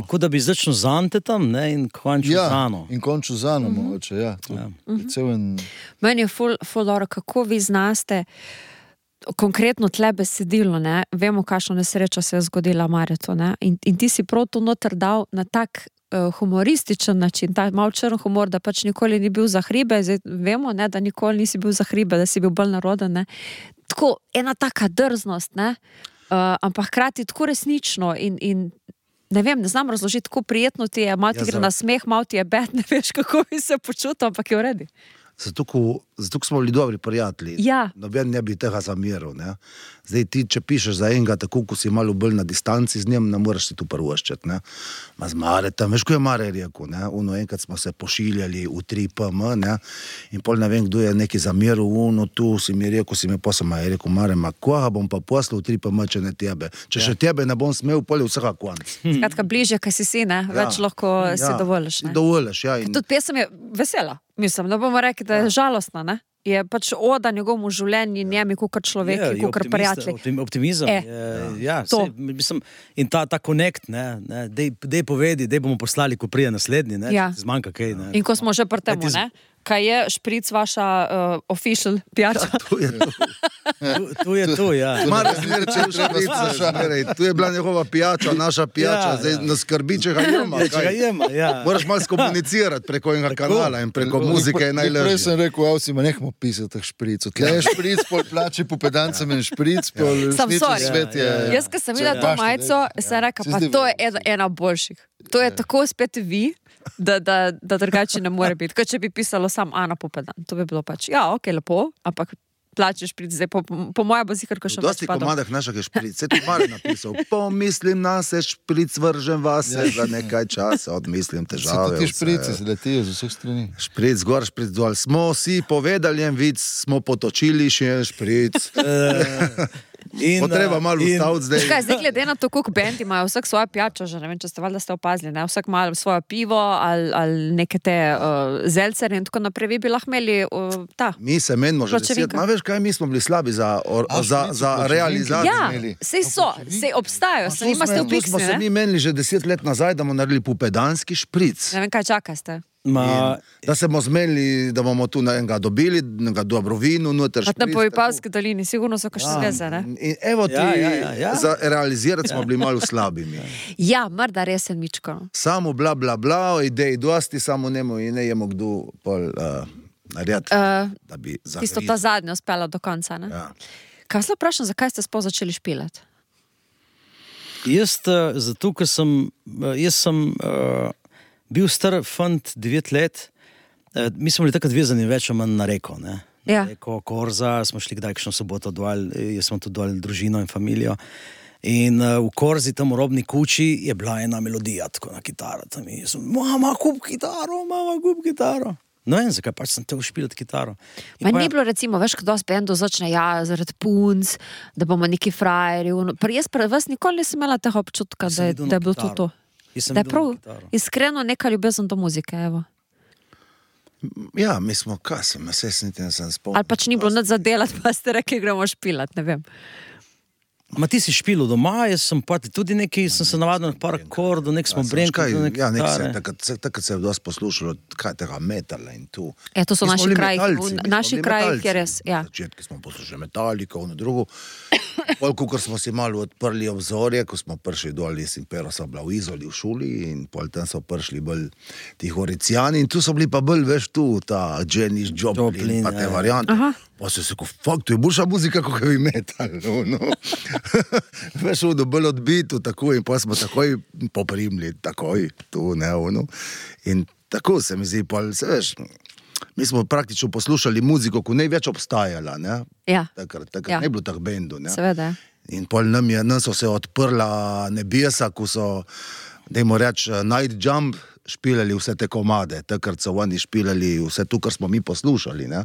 Kot da bi začel z Ante tam, ne, in končil z Ano. In končil z Ano, mogoče, ja. Meni je ful dobro, kako vi znaste konkretno tle besedilo, ne, vemo, kakšno nesrečo se je zgodila Maretu, ne, in ti si prav to noter dal na tak humorističen način, ta malo črn humor, da pač nikoli ni bil za hribe, zdaj vemo, ne, da nikoli nisi bil za hribe, da si bil bolj naroden, ne, tako ena taka drznost, ne, ampak hkrati tako resnično in ne vem, ne znam razložiti, tako prijetno ti je, malo ti gre na smeh, malo ti je bed, ne veš, kako bi se počutil, ampak je v redu. Zato, ko smo bili dobri prijatelji, noben ne bi tega zameril. Ne? Zdaj ti, če pišeš za enega, tako ko si malo bolj na distanci z njim, ne moraš si tu prvoščati. Ma z Maretom, veš, ko je Mare rekel, ne? Enkrat smo se pošiljali v 3PM, ne? In pol ne vem, kdo je neki zameril, tu si mi rekel, si mi posama je rekel, Mare, ma koga bom pa poslal v 3PM, če ne tebe? Če še tebe ne bom smel, pol je vsega konc. Skratka, bližje, kaj si, ne? Več lahko si dovoliš, ne? Dovoliš, ja. Tudi pesem je vesela. Mislim, da bomo rekli, da je žalostna, ne? Je pač oda njegovemu življenju, njemi, kukor človeki, kukor prijatelji. Optimizem. Mislim, in ta connect, ne, dej povedi, dej bomo poslali, ko prije naslednji, ne, zmanjka kaj, ne. In ko smo že pri temu, ne, kaj je špric vaša official pijača? Tu je to, ja. Mare, tu je bila njegova pijača, naša pijača, zdaj nas skrbi, če ga jema. Moraš malo skomunicirati preko enega kanala in preko muzike je najlažje. Prej sem rekel, avcima, nehmo pisati teh špricov. Tle je špric, pol plači po pedancem in špric, pol resnični svet je... Jaz, ko sem videla to majico, sem rekla, pa to je ena boljših. To je tako spet vi, da drugače ne more biti. Kot če bi pisalo sam Ana Pupedan. To bi bilo pač, ok, lepo, ampak plačeš priti zdaj, po moja bo zihar, ko še dosti komadah našega špric, se tu Mare napisal, pomislim na se, špric vržem vase za nekaj časa, odmislim težave. Se ti šprici se letijo z vseh strani. Špric gor, špric dol. Smo si povedali en vic, smo potočili še en špric. Potreba malo ustaviti zdaj. Kaj, zdaj glede na to, koliko band imajo, vsak svojo pijačo, že ne vem, če ste valjda ste opazili, ne? Vsak malo svojo pivo ali neke te zelcere in tako naprej, vi bi lahko imeli Mi se menimo že 10, ma veš kaj, mi smo bili slabi za realizacijo. Ja, sej so, sej obstajajo, se nima ste v Pixi, ne? Smo se mi menili že 10 let nazaj, da bomo naredili pupedanski špric. Ne vem, kaj čakaste. Da se bomo zmenili, da bomo tu enega dobili, enega dobro vino, noter špric. Na Povipavski dolini, sigurno so kakšne zveze, ne? In evo ti, za realizirati smo bili malo slabimi. Ja, morda resen mičko. Samo bla bla bla, ideji dosti, samo nemo in ne jemo kdo pol narediti, da bi zagrili. Tisto ta zadnjo spela do konca, ne? Ja. Kaj se vprašam, zakaj ste sploh začeli špilati? Zato, ker sem bil star fant 9 let, mi smo bili takrat vezani več o manj na reko, ne? Ja. Reko, Korza, smo šli kdaj kakšno soboto dol, jaz sem tu dol družino in familijo. In v Korzi, tam v robni kuči, je bila ena melodija, tako na kitaro. Tam in jaz sem, mama, kup kitaro. No in zakaj pač sem te ušpilati kitaro. Ma ni bilo recimo, veš, kdo s bendom začne, zaradi punc, da bomo neki frajeri. Jaz vas nikoli nisem imela tega občutka, da je bilo to. Da je prav iskreno neka ljubezen do muzike, evo. Ja, mi smo, kaj sem, niti ne sem spomnil. Ali pač ni bilo nič za delati, pa ste rekli, gremo špilati, ne vem. Ma ti si špil doma, jaz sem pa tudi nekaj, sem se navadil na par akordov, nek smo brenkali. Takrat se je dosti poslušalo, kaj tega metala in tu. To so naši kraji, naši kraji, kjer res, Na začetku smo poslušali Metallico, na drugo. Ko smo si malo odprli obzorje, ko smo prišli dol, jaz in Pero so bila v Izoli v šoli in pol tam so prišli bolj ti Horicijani in tu so bili pa bolj, veš, tu, ta Janis Joplin, pa te variante. Pa se ko, fuck, to je boljša muzika, kot heavy metal, Veš, bolj odbitu, tako, in pa smo takoj poprimli, takoj, tu, ne, In tako se mi zdi, pol, se veš, mi smo praktično poslušali muziko, ko ne več obstajala, ne? Takrat ne bilo tak bendu, ne? Seveda. In pol nam so se odprla nebesa, ko so, dajmo reči, Night Jump špilali vse te komade, takrat so oni špilali vse to, kar smo mi poslušali, ne?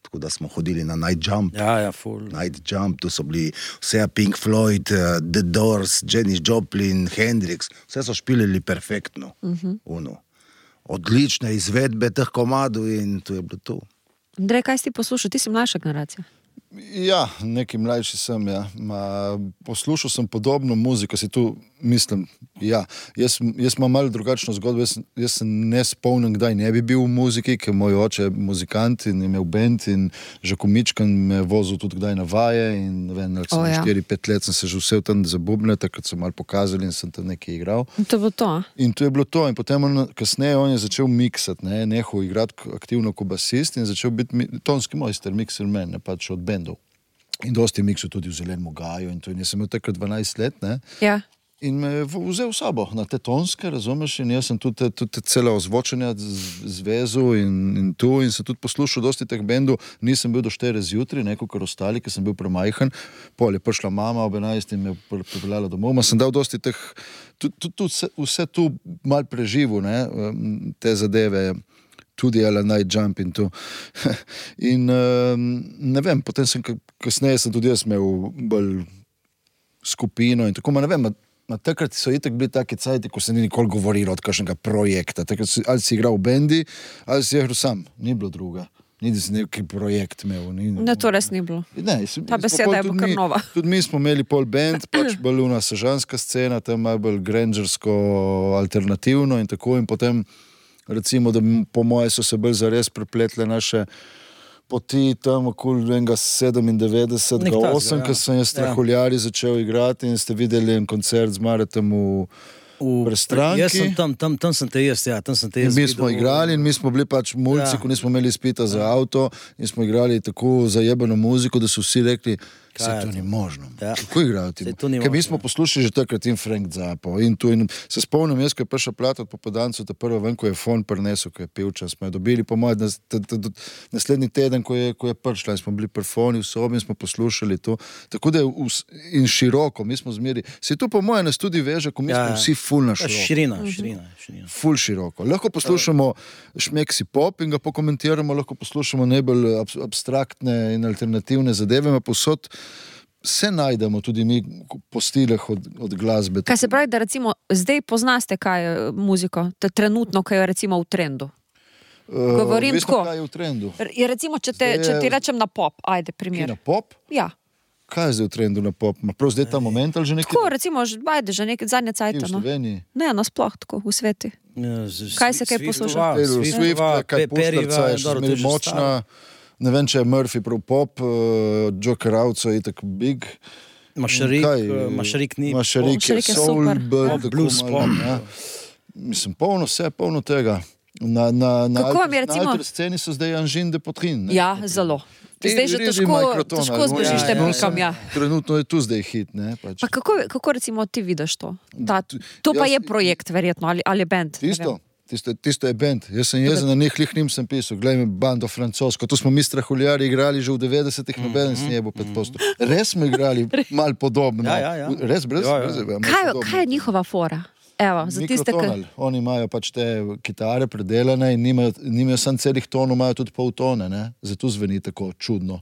Tako da smo hodili na Night Jump. Full. Night Jump, tu so bili vse Pink Floyd, The Doors, Janis Joplin, Hendrix, vse so špilili perfektno. Odlične izvedbe teh komadov in to je bilo to. Andrej, kaj si ti poslušal? Ti si mlajša generacija. Ja, neki mlajši sem, ja. Poslušal sem podobno muziko, si tu mislim, ja. Jaz imam malo drugačno zgodbo, jaz se ne spomnim, kdaj ne bi bil v muziki, ker moj oče je muzikant in je imel band in že komičkan me je vozil tudi kdaj na vaje in ne vem, 4-5 let sem se že vse tam za bubne, takrat so malo pokazali in sem tam nekaj igral. In to je bilo to, In to je bilo to in potem kasneje on je začel miksati, nehal igrati aktivno kot basist in začel biti tonski mojster, mixer man, pač od bendov. In dosti miksov tudi v Zelenem gaju in to in jaz sem imel takrat 12 let, In me je vzel v sabo na te tonske, razumeš, in jaz sem tudi cela ozvočenja zvezu in tu in sem tudi poslušal dosti teh bendov, nisem bil do 4 zjutraj, kot ostali, ker sem bil premajhen, pol je prišla mama ob 11 in me pripeljala domov, sem dal dosti teh, vse tu mal preživel, te zadeve, tudi Night Jump in to. In ne vem, potem kasneje sem tudi jaz imel bolj skupino in tako, ne vem, takrat so itak bili taki cajti, ko se ni nikoli govorilo od kakšnega projekta. Takrat ali si igral v bendi, ali si igral sam. Ni bilo druga. Ni si neki projekt imel. Ne, to res ni bilo. Ta beseda je bila kar nova. Tudi mi smo imeli pol band, pač bolj una sežanska scena, tam malo bolj grangersko, alternativno in tako. In potem, recimo, da po moje so se bolj zares prepletle naše poti tam okoli 97, 8, ko sem jaz Strahuljari začel igrati in ste videli en koncert z Maretom v Prestranki. Jaz sem tam sem te jaz, in mi smo igrali in mi smo bili pač mulci, ko nismo imeli izpita za avto in smo igrali tako zajebano muziko, da so vsi rekli, se to ni možno. Kako igrajo ti? Ker mi smo poslušali že takrat in Frank Zappa in tu in se spomnim, jaz, ko je prišla plata od Popodancev, ta prva ven, ko je fon prinesel, ko je pevčan, smo jo dobili po moje naslednji teden, ko je prišla in smo bili pri foni v sobi in smo poslušali to. Tako da je in široko, mi smo zmeri. Se tu po moje nas tudi veže, ko mi smo vsi ful na široko. Širina. Ful široko. Lahko poslušamo šmeksi pop in ga pokomentiramo, lahko poslušamo najbolj abstraktne in alternativne zadeve, posod se najdemo tudi mi po stilih od glasbe. Kaj se pravi, da recimo zdaj poznaste kaj je muziko, trenutno, kaj je recimo v trendu? Govorim tako. Kaj je v trendu? Recimo, če ti rečem na pop, ajde primer. Na pop? Ja. Kaj je zdaj v trendu na pop? Prav zdaj ta moment ali že nekaj? Tako, recimo, ajde, že nekaj zadnje cajta. V Sloveniji? Ne, nasploh tako, v sveti. Kaj se kaj posluša? Swift, kaj Puštarca je še zmeri močna. Ne vem, če je Murphy prav pop, Joker Outso je tako big. Mašarik ni. Mašarik je soul, blues pop. Mislim, polno tega. Na alter sceni so zdaj Anžin de Potrin. Ja, zelo. Zdaj že težko zbežiš tem pikam, ja. Trenutno je tu zdaj hit, ne? Pa kako recimo ti vidiš to? To pa je projekt, verjetno, ali band? Tisto je band. Jaz sem jezen na njih njim sem pisal. Glej me, bando francosko. Tu smo mi Strahuljari igrali že v 90-ih, noben s njebo 5%. Res smo igrali malo podobno. Res brez. Kaj je njihova fora? Evo, za tiste, Oni imajo pač te kitare predelane in nimajo sam celih tonov, imajo tudi pol tone, ne? Zato zveni tako čudno.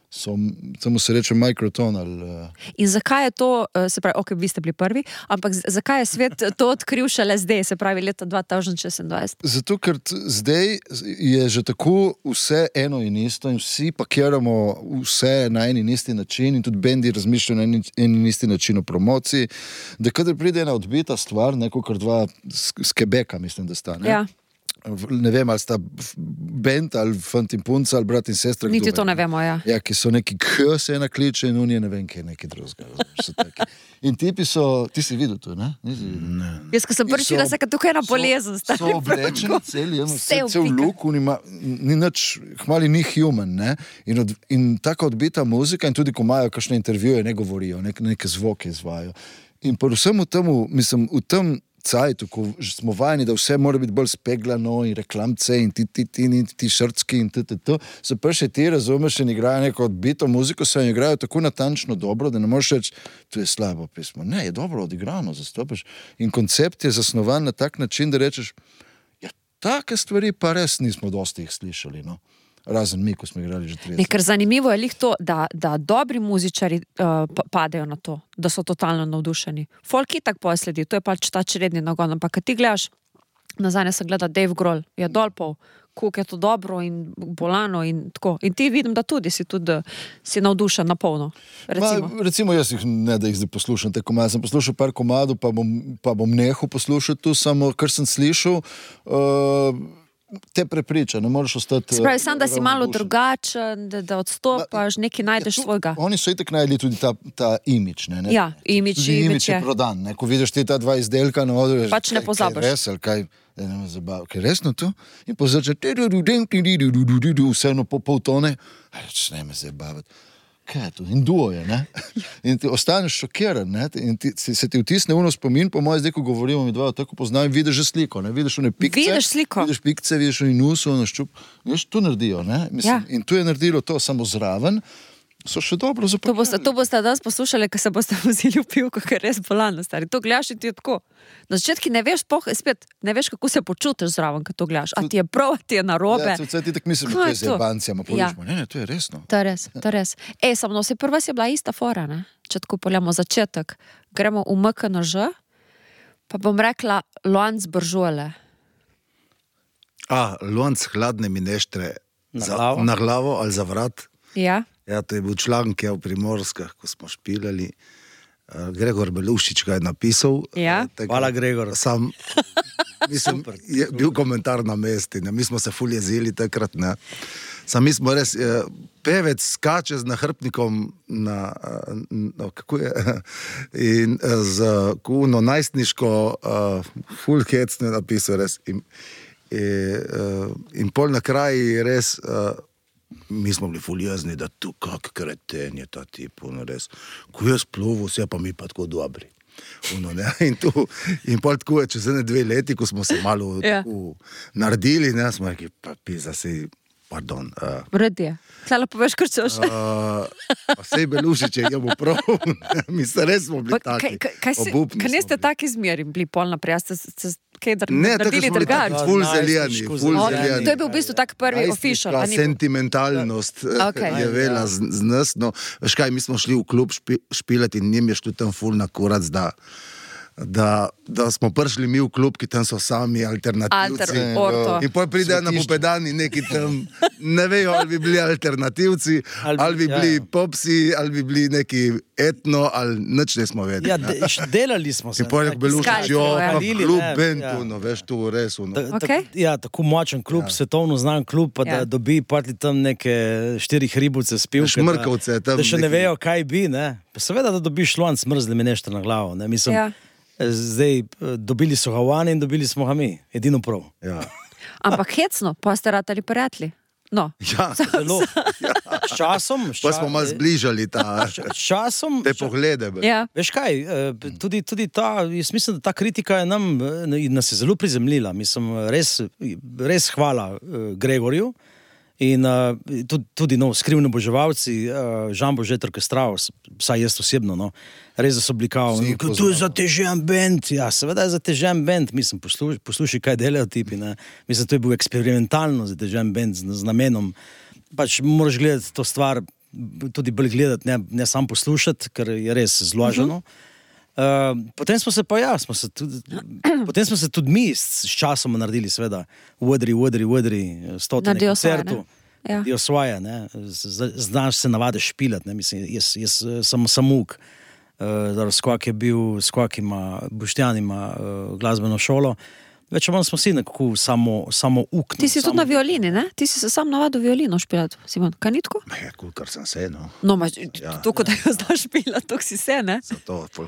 samo se reče Microton ali... In zakaj je to, se pravi, ok, vi ste bili prvi, ampak zakaj je svet to odkril šele zdaj, se pravi leta 2026? Zato, ker zdaj je že tako vse eno in isto in vsi pakiramo vse na en in isti način in tudi bendi razmišljajo na en in isti način o promociji, da kadar pride ena odbita stvar, neko kar dva z Quebeca, mislim, da sta, ne? Ja. Ne vem, ali sta bend ali fant in punca ali brat in sestra. Niti to ne vemo, ja. Ja, ki so neki se ena kliče in unije ne vem, kaj je neki drugega. In tipi so, ti si videl to, ne? Ne. Jaz, ko sem prvič videla, se kot tukaj ena bolezen. So oblečeni celi, cel luk, ni nič, hmali ni human, ne? In taka odbita muzika in tudi, ko imajo kakšne intervjuje, ne govorijo, neke zvoke izvajo. In pa vsem v temu, mislim, v tem cajtu, ko smo vajeni, da vse mora biti bolj speglano in reklamce in ti šrtski in se pa še ti razumeš in igrajo neko odbito muziko, se jim igrajo tako natančno dobro, da ne moreš reči, to je slabo pismo. Ne, je dobro odigrano, zastopaš. In koncept je zasnovan na tak način, da rečeš, ja, take stvari pa res nismo dosti jih slišali, no. Razen mi, ko smo igrali že 30. Ker zanimivo je lih to, da dobri muzičari padejo na to, da so totalno navdušeni. Folk itak posledi, to je pač ta čredni nagon, ampak kad ti gledaš, nazadnje se gleda Dave Grohl, je dolpov, koliko je to dobro in bolano in tako. In ti vidim, da tudi si navdušen na polno. Recimo jaz jih ne, da jih zdaj poslušam te komade. Sem poslušal par komadov, pa bom nehal poslušati tu, samo kar sem slišal, te prepriča, ne moreš ostati... Spravi, sam, da si malo drugačen, da odstopaš, nekaj najdeš svojega. Oni so itak najdli tudi ta imič, ne? Ja, imič je prodan, ne? Ko vidiš ti ta dva izdelka na odru, pač ne pozabiš. Kaj res, ali kaj me zabava, kaj resno to? In pa začne vseeno po pol tone, ne me zabavati. Kaj je to? In duo je, ne? In ti ostaneš šokiran, ne? In se ti vtisne uno spomin, po mojem zdaj, ko govorimo, mi dva tako poznam, vidiš že sliko, ne? Vidiš one pikce. Vidiš sliko. Vidiš pikce, vidiš one nusu, ono ščup. Vidiš, to naredijo, ne? Mislim, in tu je naredilo to samo zraven, so še dobro zapakirali. To boste danes poslušali, ko se boste vozili v pivko, ker je res bolano, stari. To gledaš in ti je tako. Na začetki ne veš, spet, ne veš, kako se počutiš zraven, ko to gledaš. A ti je prav, a ti je narobe. Ja, ti tak mislim, da to je z jebancijama. Ne, to je resno. To je res. Samo se prva si bila ista fora, ne? Če tako poljamo začetek. Gremo v MKNŽ, pa bom rekla lonc Buržuele. Lonc hladne mineštre na glavo ali za vrat. Ja. Ja, to je bil članek v Primorskah, ko smo špilali. Gregor Belušič ga je napisal. Ja. Hvala, Gregor. Mislim, je bil komentar na mesti, ne? Mi smo se ful jezili takrat, ne? Mi smo res, pevec skače z nahrbnikom kako je, in z kuno najstniško ful hecno napisal res. In pol na kraji res... Mi smo bili fuljazni, da tu kak kreten je ta tip, res. Ko jaz plovil, vse pa mi pa tako dobri. In pol tako je, čez 2 leti, ko smo se malo naredili, ne, smo rekli, pa pisa si, pardon. Vredi je. Tlala poveš, kar češ. Pa sej Belušič je bo prav, mi se res smo bili taki. Kaj niste taki zmeri bili pol naprej, ste ne, tako smo bili taki, ful zeljani. To je bil v bistvu tak prvi official. Sentimentalnost je vela z nas, no, veš kaj, mi smo šli v klub špilati in njim je šlo tam ful na kurac, da smo prišli mi v klub, ki tam so sami alternativci. In potem pridejo na popedani neki tam, ne vejo, ali bi bili alternativci, ali bi bili popsi, ali bi bili neki etno, ali nič ne smo vedeli. Ja, delali smo se. In potem je Belušič, klub Bentu, no, veš, tu res. Ja, tako močen klub, svetovno znan klub, pa da dobi parti tam neke 4 hribovce spivke. Šmrkavce. Da še ne vejo, kaj bi, ne. Pa seveda, da dobiš lonc mrzli minešter na glavo, ne, mislim. Zdaj, dobili so ga vani in dobili smo ga mi, edino prav. Ja. Ampak hecno, pa ste ratali prijatelji. No. Ja, zelo. S časom. Pa smo malo zbližali te poglede. Ja. Veš kaj, tudi ta, jaz mislim, da ta kritika je nas je zelo prizemljila. Mislim, res hvala Gregorju. In tudi skrivni oboževalci, Žan Božet orkestral, vsaj jaz osebno, no, res da so bili kao, to je zatežen band, ja, seveda je zatežen band, mislim, poslušaj, kaj delajo tipi, ne, mislim, to je bil eksperimentalno zatežen band z namenom, pač moraš gledati to stvar tudi bolj gledati, ne sam poslušati, ker je res zloženo. Potem smo se pa potem smo se tudi mi s časom naredili, seveda, udri, stotine koncertov. Naredijo svoje, ne. Znaš se navade špilat, ne. Mislim, jaz sem samuk, skok ima Boštjan ima glasbeno šolo. Več ali manj smo si nekako samo ukni. Ti si tudi na violini, ne? Ti si se sam navadil violino špilati, Simon, kanitko? Kar sem se, no. No, toliko, da jo znaš špilati, toliko si se, ne?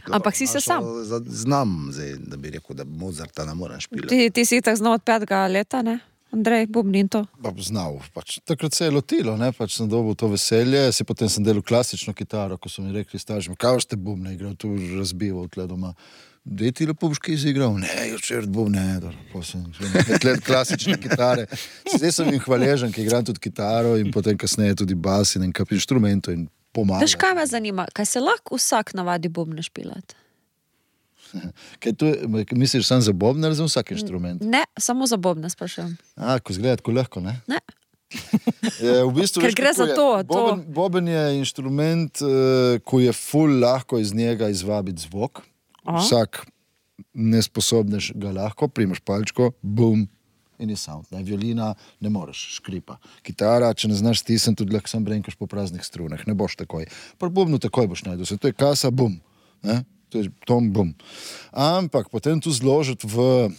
Ampak si se sam. Znam zdaj, da bi rekel, da Mozarta ne moram špilati. Ti si tak znal od 5. leta, ne? Andrej, bubnin to. Znal, takrat se je lotilo, ne, sem dobil to veselje, potem sem delal klasično kitaro, ko so mi rekli starši, kaj ste bubne igral, tu razbival tle doma. Dej ti lepo boš kaj izigral? Ne, včeraj bubne, potem 5 let klasične kitare. Zdaj sem jim hvaležen, ki igram tudi kitaro in potem kasneje tudi bas in kap inštrumentov in pomagam. Veš, kaj me zanima, kaj se lahko vsak navadi bubne špilati? Kaj tu, misliš sam za bobne ali za vsak inštrument? Ne, samo za bobne sprašujem. Ko izgleda tako lahko, ne? Ne. V bistvu, ker gre za to. Boben je inštrument, ko je ful lahko iz njega izvabiti zvok. Vsak nesposobnež ga lahko, primaš palčko, bum, in je sound. Violina ne moreš, škripa. Kitara, če ne znaš stisniti, tudi lahko sam brenkaš po praznih strunah, ne boš takoj. Pri bubnu takoj boš najdel se. To je kasa, bum. Ne? To je tom, bum. Ampak potem tu zložiti v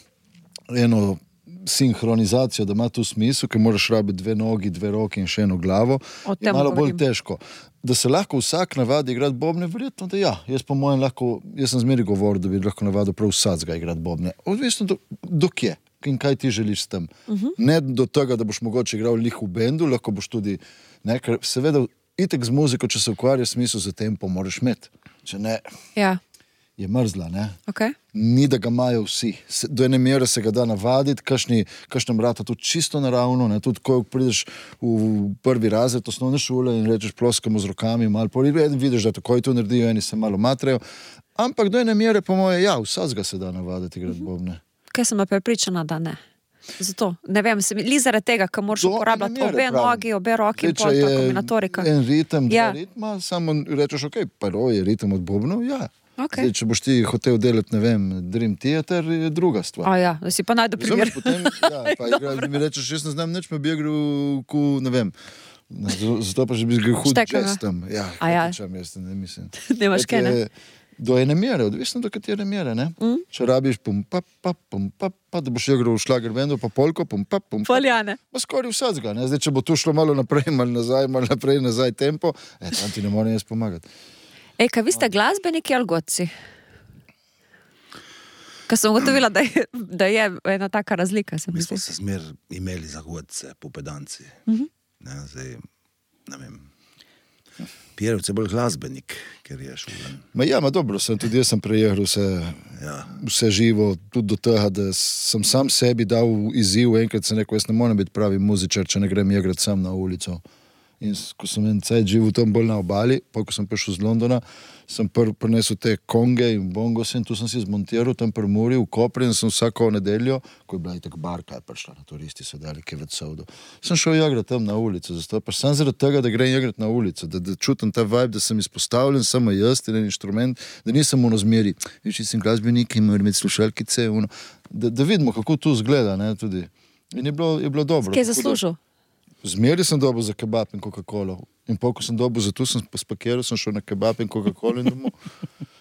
eno sinhronizacijo, da ima tu smisel, ker moraš rabiti 2 nogi, 2 roki in še eno glavo, je malo bolj težko. Da se lahko vsak navadi igrati bobne, verjetno, da ja. Jaz sem zmeri govoril, da bi lahko navadil prav vsacga igrati bobne. Odvisno do kje in kaj ti želiš s tem. Ne do tega, da boš mogoče igral lih v bendu, lahko boš tudi, ne, ker seveda itek z muziko, če se ukvarjaš smisel za tempo, moraš imeti. Če ne, je mrzla, ne? Okay. Ni, da ga imajo vsi. Do ene mere se ga da navaditi, kakšnem rata tudi čisto naravno, ne? Tudi ko prideš v prvi razred osnovne šole in rečeš ploskamo z rokami, malo vidiš, da takoj to naredijo, eni se malo matrejo. Ampak do ene mere, po moje, vsazga se da navaditi igrati bobne. Kaj sem pa prepričana, da ne? Zato, ne vem, li zaradi tega, ker moraš uporabljati obe nogi, obe roki in pol, ta kombinatorika. En ritem, 2 ritma, samo rečeš, prvo je ritem od bobnov, Okay. Zdaj, če boš ti hotel delati, ne vem, Dream Theater, je druga stvar. Da si pa najdu primer. Potem, mi rečeš, jaz ne znam nič, me bi igral, ne vem, zato pa že bi igral hud jazz tam. Hočem jaz, ne mislim. Nemaš kaj, ne? Do ene mere, odvisno do katere mere, ne? Če rabiš pum, pa, da boš igral v šlager bendu, pa polko, pum, pa. Poljane. Pa skoraj vsacga, ne? Zdaj, če bo tu šlo malo naprej, malo nazaj tempo, tam ti ne morem jaz pomagati. Kaj vi ste glasbeniki ali godci? Ker sem ugotovila, da je ena taka razlika. Mi smo se zmer imeli za godce, popedanci. Zdaj, ne vem, Pierovce je bolj glasbenik, ker je šulen. Dobro, tudi jaz sem prejel vse živo, tudi do tega, da sem sam sebi dal izziv, enkrat sem rekel, jaz ne morem biti pravi muzičar, če ne grem igrati sam na ulico. In ko sem en cajt živel tam bolj na obali, pa ko sem prišel z Londona, sem prinesel te konge in bongose in tu sem si zmontiral tam pri Muri v Kopri in sem vsako nedeljo, ko je bila itak barka, je prišla na turisti, so dali kaj več sovdo. Sem šel igrati tam na ulico, zato pa sem zaradi tega, da grem igrati na ulico, da čutim ta vibe, da sem izpostavljen, samo jaz in en inštrument, da nisem v razmeri, če sem glasbenik in moram imeti slušalkice, da vidimo, kako to zgleda, ne, tudi. In je bilo dobro. Kaj je zaslužil? Zmeri sem dobil za kebab in Coca-Cola. In ko sem dobil za to, sem spakiral, sem šel na kebab in Coca-Cola in domov.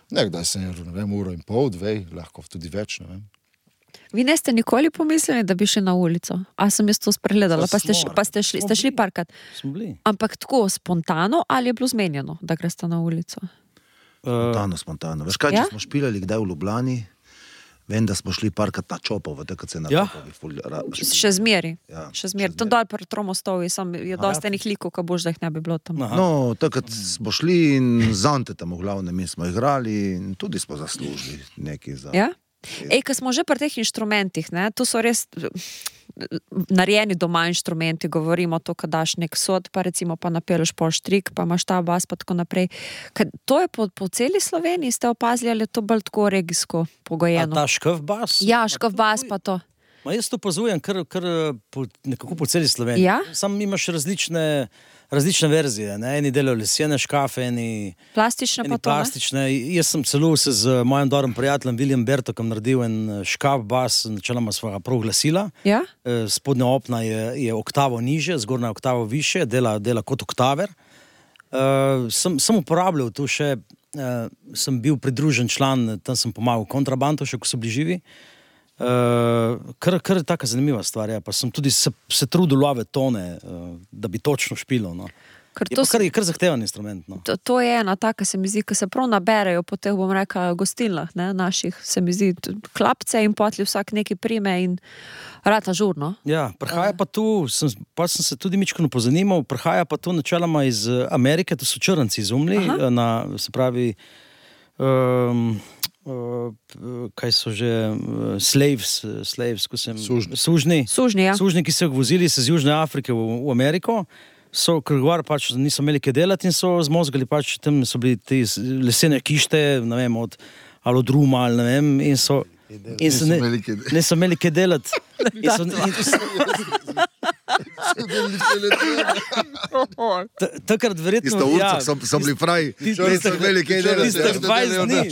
Nekdaj sem jedel, ne vem, 1,5 ure, 2, lahko tudi več, ne vem. Vi ne ste nikoli pomislili, da bi šli na ulico? A sem jaz to spregledala, pa ste šli parkrat? Smo bili. Ampak tako spontano ali je bilo zmenjeno, da greste na ulico? Spontano. Veš kaj, če smo špilali kdaj v Ljubljani, vem, da smo šli parkat na Čopovo, tako se na Čopovi. Še zmeri. Tam dol pri Tromostovi je dosta enih likov, ko boš, da jih ne bi bilo tam. No, takrat smo šli in z Antetom v glavnem mi smo igrali in tudi smo zaslužili nekaj za... Ja? Ko smo že pri teh inštrumentih, ne, tu so res narejeni doma inštrumenti, govorimo to, ko daš nek sod, pa recimo pa napeleš pol štrik, pa imaš ta bas, pa tako naprej. To je po celi Sloveniji, ste opazili, ali je to bolj tako regijsko pogojeno? A ta škov bas? Ja, škov bas pa to. Ma jaz to opazujem nekako po celi Sloveniji. Ja? Sam imaš različne verzije, ne? Eni delajo lesene škafe, eni Plastične pa to, ne? plastične. Jaz sem celo se z mojim dobrim prijateljem William Bertokom naredil en škaf, bas, načeloma svojega prav glasila. Ja? Spodnja opna je oktavo niže, zgornja oktavo više, dela kot oktaver. Sem uporabljal tu še, sem bil pridružen član, tam sem pomagal kontrabandu, še ko so bili živi. Kar je taka zanimiva stvar, ja. Pa sem tudi se trudil love tone, da bi točno špilo, no. Je kar zahteven instrument, no. To je ena taka, se mi zdi, ki se prav naberejo po teh, bom rekla, gostilnah, ne, naših, se mi zdi, klapce in potli vsak neki prime in rata žurno. Ja, prihaja pa tu, sem se tudi mičkano pozanimal, prihaja pa tu načeloma iz Amerike, to so črnci izumili, se pravi, kaj so že slaves, ko sem sužni, ja. Sužni, ki so jih vozili se z Južne Afrike v Ameriko, so krgovar pač niso imeli kaj delati in so zmozgali pač, tam so bili te lesene kište, ne vem, od alodruma ali ne vem, in so niso imeli kaj delati. Takrat verjetno... Tista urca so bili fraji, niso imeli kaj delati. Tistih 20 dni.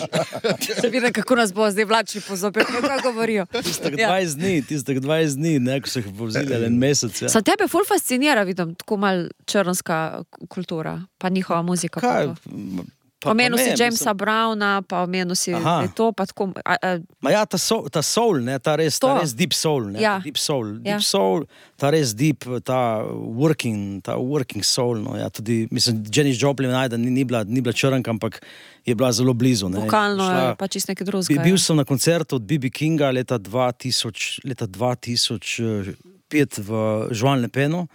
Se vidi, kako nas bo zdaj vlačili pozopet, kako govorijo. Tistih 20 dni, ne, ko so jih povzili en mesec. Ja. Sam tebe ful fascinira, vidim, tako mal črnska kultura, pa njihova muzika. Kaj? Omenil si Jamesa Browna, pa omenil si to, pa tako... Ma ja, ta soul, ne, ta res deep soul, ne, ja. Deep soul, ta res deep, ta working soul, no, ja, tudi, mislim, Janis Joplin ni bila črnka, ampak je bila zelo blizu, ne. Vokalno je pa čist nekaj drugega. Bil sem na koncertu od B.B. Kinga leta 2005 v Joan Le Penu,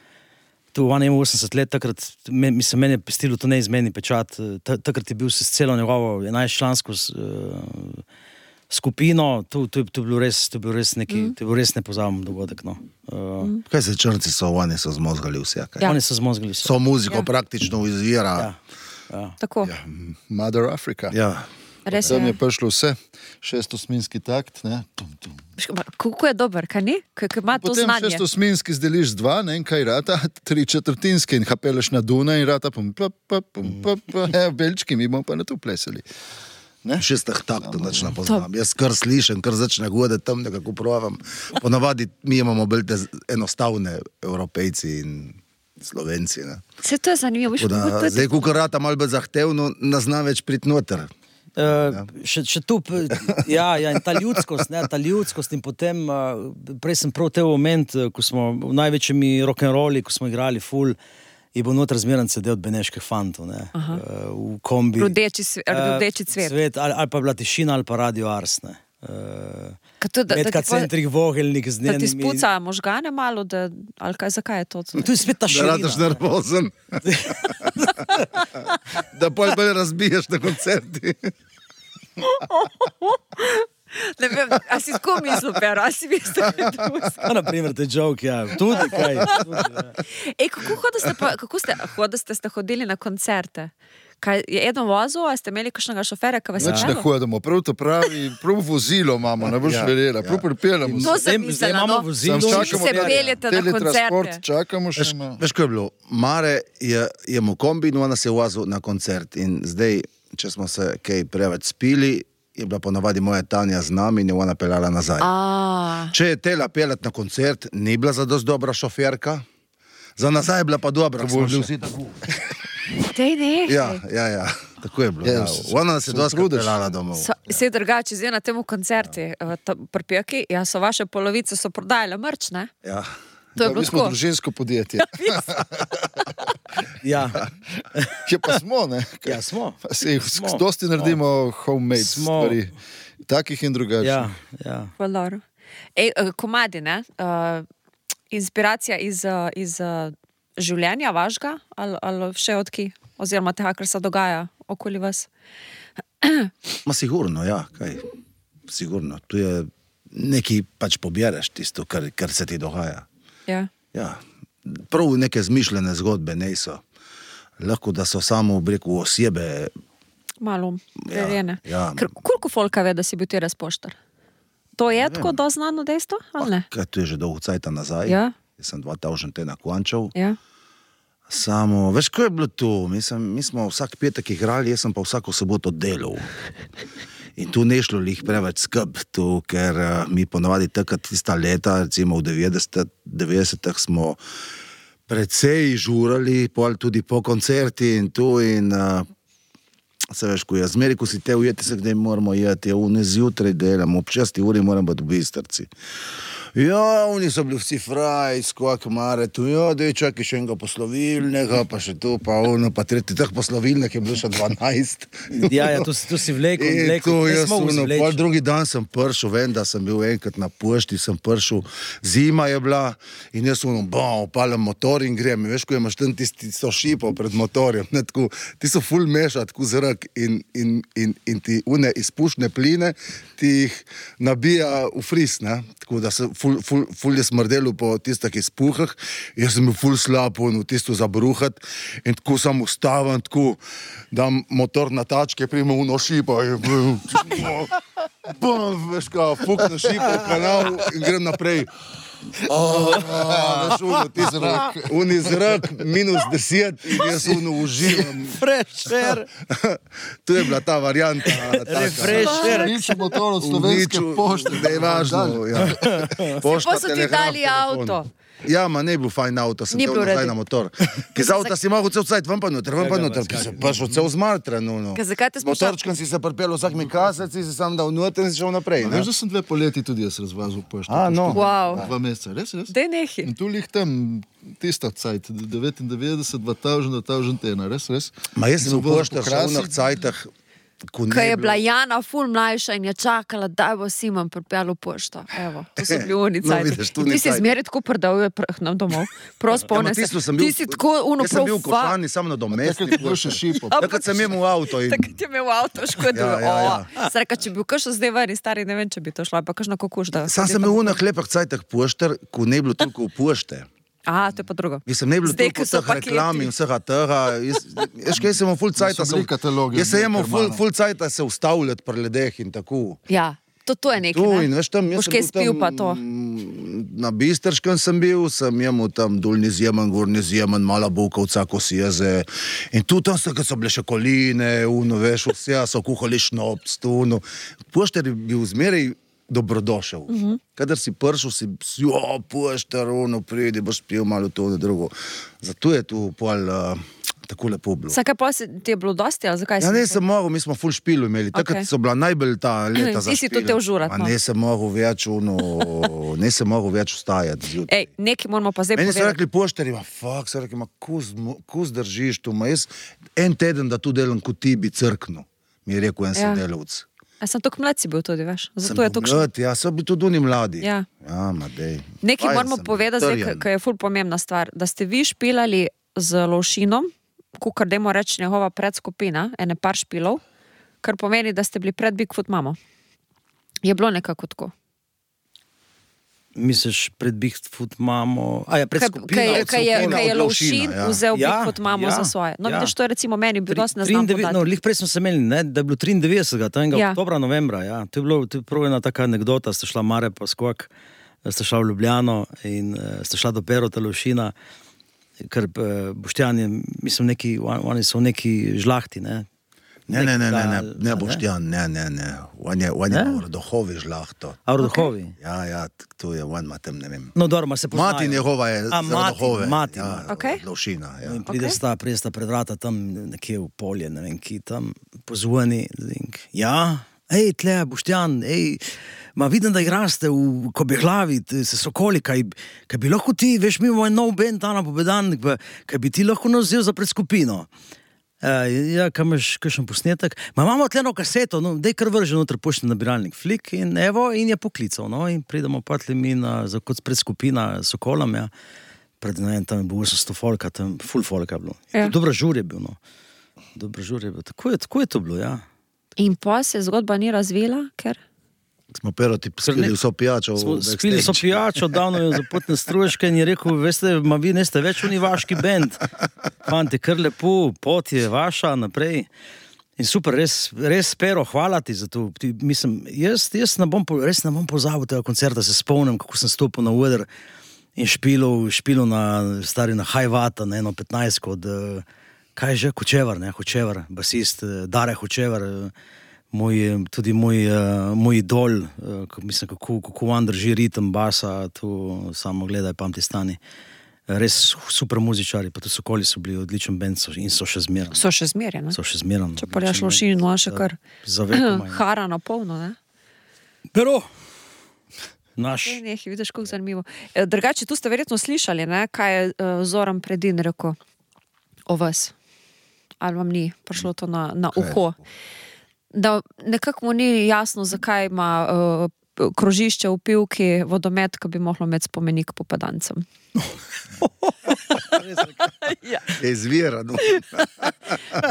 tu 81 let, takrat, mislim, meni je pestilo to neizmeni pečat, takrat je bil s celo njegovo 11-člansko skupino, to je bil res nepozaben dogodek, no. Kaj se črnci oni so zmozgali vse, kaj? Ja. Oni so zmozgali vse. So muziko praktično izvira. Ja. Tako. Ja, Mother Africa. Ja. Res Tam je prišlo vse, 6-osminski takt, ne? Kako je dober, kaj ni? Kaj ima to znanje? Potem 6-osminski zdeliš z 2, ne, in kaj rata, 3/4 in kapeleš na Duna in rata belčki, mi bomo pa na to plesali. 6 taktov začne poznam. Jaz kar slišem, kar začne goditi tam, nekako provam. Ponavadi mi imamo bolj te enostavne Evropejci in Slovenci, ne. Se to je zanimivo. Zdaj, ko rata malo bolj zahtevno, nas zna več priti noter. Še tu, in ta ljudskost in potem, prej sem prav te moment, ko smo v največjimi rock'n'rolli, ko smo igrali ful, je bil noter zmeren CD od beneških fantov, ne, v kombi. Rdeči cvet. Ali pa bila tišina, ali pa Radio Ars, ne. Medka centrih vogelnik z njenimi... Da ti spuca možgane malo, ali kaj, zakaj je to? Tu je spet ta širina. Da radaš nervozen. Da bolj razbiješ na koncerti. Ne vem, a si tako mislil, Pero, a si mislil, da je drugo? Naprimer, te joke, ja. Tudi kaj. Kako ste hodili na koncerte? Kaj, je eden vozil, a ste imeli kakšnega šoferja, ki vas je ne hodimo, prav to pravi, prav vozilo imamo, ne boš verjela, prav pripeljamo. To sem mislila, no. Če se peljete na koncerte. Čakamo še. Veš, kaj je bilo? Mare je mu kombi in ona se je vozil na koncert in zdaj, če smo se kaj preveč spili, je bila ponavadi moja Tanja z nami in je ona peljala nazaj. Če je tela peljati na koncert, ni bila za dosti dobra šoferka, za nazaj je bila pa dobra, smo bili vsi tako. Dej, ne. Ja, tako je bilo. Ja. Ona se dosti peljala domov. Se drugače, zdaj na temu koncerti, pri Peki, so vaše polovice so prodajale merch, ne? Ja. To je bilo tako. Mi smo družinsko podjetje. Ja. Kje pa smo, ne? Ja, smo. Dosti naredimo homemade stvari. Takih in drugačnih. Ja. Valor. Komadi, ne? Inspiracija iz življenja vašega ali še odki? Oziroma tega, kar se dogaja okoli vas? Ma sigurno, ja. Kaj? Sigurno. Tu je nekaj pač pobjereš tisto, kar se ti dogaja. Ja. Prav neke zmišljene zgodbe niso. Lahko, da so samo breku osebe. Malo prerjene. Ja. Koliko folka ve, da si bil ti res poštar? To je tako doznano dejstvo, ali ne? Kaj, to je že dolgo cajta nazaj. Ja. Jaz sem 2000 te naklančal. Ja. Samo, veš, ko je bilo to? Mi smo vsak petek igrali, jaz sem pa vsako soboto delal. In tu ne šlo lih preveč skrb, tu, ker mi ponovadi takrat tista leta, recimo v 90-ih smo precej žurali, tudi po koncerti in tu in se veš, ko je zmeri, ko si te ujeti se, kdaj moramo jeti, zjutraj delam, ob 6 uri moram biti v Bistrci. Ja, oni so bili vsi fraj, skok mare, tu, dej čakaj še enega poslovilnega, pa še tu, pa ono, pa tretji, teh poslovilnih je bilo še 12. Ja, tu si vlekel, jaz pol drugi dan sem pršel, vem, da sem bil enkrat na pošti, sem pršel, zima je bila in jaz upalim motor in grem. Veš, ko imaš tam tisto šipo pred motorjem, ne, tako, ti so ful meša, tako zrak in ti une izpušne pline, ti jih nabija v fris, ne, tako da se ful je smrdelo po tistih izpuhah, jaz sem bil ful slab, tisto zabruhat in tako sam ustavim, tako dam motor na tačke, primo uno šipo in veš kao, fukno šipo v kanal in grem naprej. Veš, uni zrak, -10 in jaz uživam. Fresher. To je bila ta varianta. Refresher. Nič motor od slovenske pošte. Ne je važno. Pa so ti dali avto. Ja, ma ne je bil fajn avto, sem tel nazaj na motor. Ker z avta si mogel cel cajt ven pa noter, ki se prišel cel zmatran. Motorčkan si se pripel vsak mi kasec, si se sam dal noter in si šel naprej. Veš, da sem 2 poleti tudi jaz razvazil pošto. No. Wow. 2 meseca, res? Dej nehi. In tu lih tam tista cajt, 99, 2000, res? Ma jaz sem v poštar še v onih cajtah, ko je bila Jana ful mlajša in je čakala, da bo Simon pripel v pošto. Evo, to so bili oni cajti. Ti si zmeri tako prdal nam domov. Prost spomne se. Ti si tako Jaz sem bil v Košani, samo na domestni. Takrat je bil še šipo. Takrat sem imel avto. Takrat je imel avto, škoda. Ja. Sreka, če bi bil kakšno zdaj vari stari, ne vem, če bi to šlo, pa kakšno kokuš, da... Sam sem imel v onih lepih cajtah poštar, ko ne bilo toliko v pošte. Aha, to je pa drugo. Mislim, ne bilo toliko teh reklam in vsega tega. Jaz kaj sem imel ful cajta. Jaz sem imel ful cajta se ustavljati pri ljudeh in tako. Ja, to je nekaj, ne? Boš kaj spil pa to? Na Bistrškem sem bil, sem imel tam dolni zjemen, gorni zjemen, mala bukovca, ko si jeze. In tu tam so bile še koline, veš, vse so kuhali šnops, poštar je bil zmeraj dobrodošel. Kadar si prišel, si poštar, pridi, boš spil malo to, drugo. Zato je tu pol tako lepo bilo. Vsaka pa ti je bilo dosti, ali zakaj si? Ja, ne sem mogel, mi smo ful špilu imeli. Takrat so bila najbolj ta leta za špil. Ti si to te užurat, no. Ne sem mogel več vstajati. Ej, nekaj moramo pa zdaj povedati. Meni so povedati. rekli poštari, so rekli, kus držiš tu, jaz en teden, da tu delam kot ti bi crknil, mi je rekel en sodelavec. A sem tako mlad si bil tudi, veš? Zato je tako mlad, ja, so bili tudi oni mladi. Ja. Ja, ma dej. Nekaj moramo povedati zdaj, ker je ful pomembna stvar, da ste vi špilali z Lovšinom, kukar dajmo reči njegova predskupina, ene par špilov, kar pomeni, da ste bili pred Bigfoot mamo. Je bilo nekako tako. Misliš pred Bigfoot mamo? A ja, pred skupino. Kaj je Lovšin vzel Bigfoot mamo za svoje. No, vidiš, to je recimo meni bil dosti neznam podati. No, lih prej smo se imeli, ne, da je bilo 93. Oktobra, novembra, ja. To je prvo ena taka anekdota, ste šla Mare pa skok, ste šla v Ljubljano in ste šla do Perota Lovšina, ker Boštjan je, mislim, oni so neki žlahti, ne. Ne Boštjan, ne. On je v Rodohovi žlahto. A v Rodohovi? Ja, to je on, matem, ne vem. No, dobro, ma se poznajo. Mati njegova je z Rodohove. Mati. Ja, Lovšina, ja. In pride sta pred vrata tam nekje v polje, ne vem, ki tam pozvoni. Ja, tle, Boštjan, ma vidim, da igraste v Kobeglavi, se Sokoli, kaj bi lahko ti, veš, mi imamo en nov band, Ana Pobedan, kaj bi ti lahko nas vzel za predskupino. Ja, kaj imaš kakšen posnetek? Ma imamo tleno kaseto, no, dej kar vrže noter poštni nabiralnik flik in evo, in je poklical, no, in pridemo patli mi kot predskupina Sokolom, ja, pred, ne vem, tam je bilo 800 folka, tam full folka je bilo. Ja. Dobro žur je bil, no. Dobro žur je bil, tako je to bilo, ja. In pa se zgodba ni razvila, ker? Smo Peroti spili vso pijačo. Smo spili vso pijačo, davno je za potne struješke in je rekel, veste, ma vi neste več oni vaški bend. Fanti, kar lepo, pot je vaša naprej. In super, res Pero, hvala ti za to. Mislim, jaz res ne bom pozabil tega koncerta, se spomnim, kako sem stopil na oder in špilil na Hajvata, na 15 od, kaj že, Hočevar, basist, Dare Hočevar, tudi moj idol, mislim, kako on drži ritem basa, tu samo gledaj, pamti stani. Res super muzičari, pa tudi Sokoli so bili odličen band in so še zmeraj. So še zmeraj, ne? So še zmeraj. Če pa rešlo šino, še kar hara na polno, ne? Pero, naš. Vidiš, kako zanimivo. Drugače, tu ste verjetno slišali, ne, kaj je Zoran Predin rekel o vas. Ali vam ni prišlo to na uho? Da nekako mu ni jasno, zakaj ima krožišče v Pivki vodomet, ki bi mohlo imeti spomenik Popadancem. Je izvirano.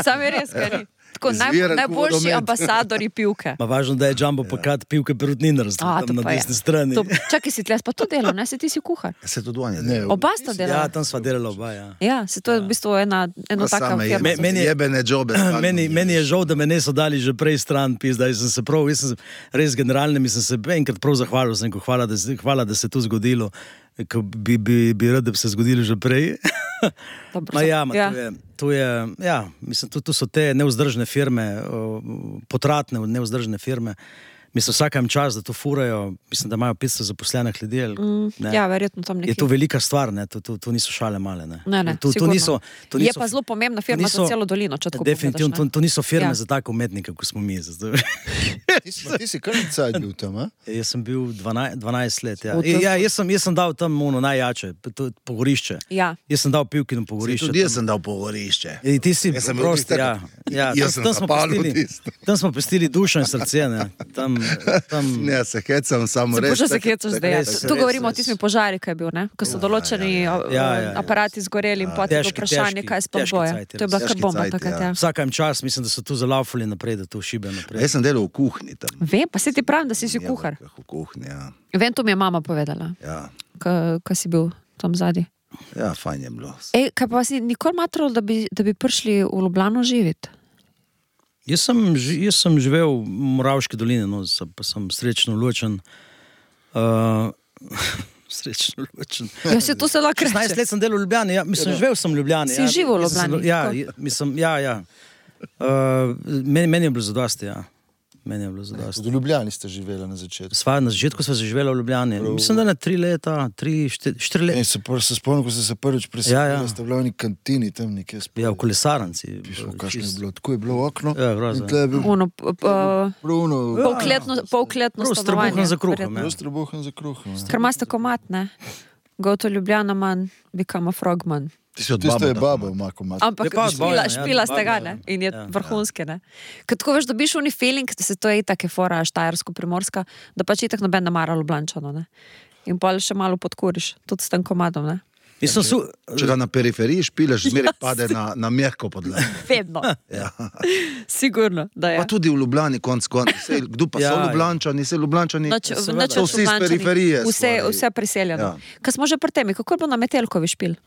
Sam je res, kaj ni. Tako, najboljši ambasadori Pivke. Ma važno, da je Jumbo pokat Pivke Perutninar, tam na desni strani. Čakaj, si tlej pa to delal, ne? Si ti si kuhar. Se to dvanje delal. Oba sta delala. Ja, tam sva delala oba, ja. Ja, se to je v bistvu eno taka firma. Jebene džobe. Meni je žal, da me niso dali že prej stran, pizda, jaz sem res generalnim, sem se enkrat prav zahvalil, hvala, da se to zgodilo, ko bi rad, da bi se zgodilo že prej. Mislim, tu so te neuzdržne firme, potratne neuzdržne firme. Mislim, vsakem čas, da to furajo, mislim, da imajo 500 zaposlenih ljudi. Ja, verjetno tam nekaj. Je to velika stvar, ne? To niso šale male, ne? Ne, sigurno. Je pa zelo pomembna firma za celo dolino, če tako definitivno, pogledaš, ne? To niso firme za tako umetnike, kot smo mi. Ti si kar cajt bil tam, a? Jaz sem bil 12 let, ja. Jaz sem dal tam najjače, pogorišče. Ja. Jaz sem dal Pivkino pogorišče. Tudi jaz sem dal pogorišče. Ti si prost, ja. Tam smo pustili dušo in srce, ne? Ne, se hecam, samo res. Se hecaš zdaj, ja. Tu govorimo o tistim požari, kaj je bil, ne? Ko so določeni aparati zgoreli in potem vprašanje, kaj sploh boje. To je bila kar bomba takrat, ja. Vsakem čas, mislim, da so tu zalaufali naprej, da to šibe naprej. Jaz sem delal v kuhinji tam. Vem, pa se ti pravim, da si kuhar. V kuhinji, ja. Vem, to mi je mama povedala. Ja. Kaj si bil tam zadnji. Ja, fajn je bilo. Kaj pa vas ni nikoli matralo, da bi prišli v Ljubljano živeti? Jaz sem živel v Moravški dolini, no, pa sem srečno ločen. Srečno ločen. Ja, se to se lahko reče. 16 let sem delal v Ljubljani, ja, mislim, živel sem v Ljubljani. Si živel v Ljubljani? Ja, mislim, ja. Meni je bilo zadosti, ja. V Ljubljani ste živeli na začetku. Na začetku sva se živela v Ljubljani. Mislim, da na 3 leta, 4 leta. Se spomnim, ko ste se prvič preselili, ste bili v neki kantini tam nekje spomnim. Ja, v Kolesaranci. Kakšno je bilo? Tako je bilo okno. Ja, grozno. Polkletno stanovanje. Strobuhan za kruhom. Ker imaste komat, ne? Go to Ljubljana man, become a frogman. Tisto je baba, ima komat. Ampak špila ste ga, ne? In je vrhunske, ne? Kad tako veš, dobiš oni feeling, da se to je itak je fora štajersko-primorska, da pač itak noben namara Ljubljančano, ne? In pa še malo podkuriš, tudi s tem komadom, ne? Če ga na periferiji špilaš, zmeraj pade na mehko podlago. Vedno. Ja. Sigurno, da je. Pa tudi v Ljubljani, konc. Kdo pa so Ljubljančani, so Ljubljančani, so vsi iz periferije. Vse priseljeno. Kaj smo že pri temi, kako je bilo na Metelkovi špil?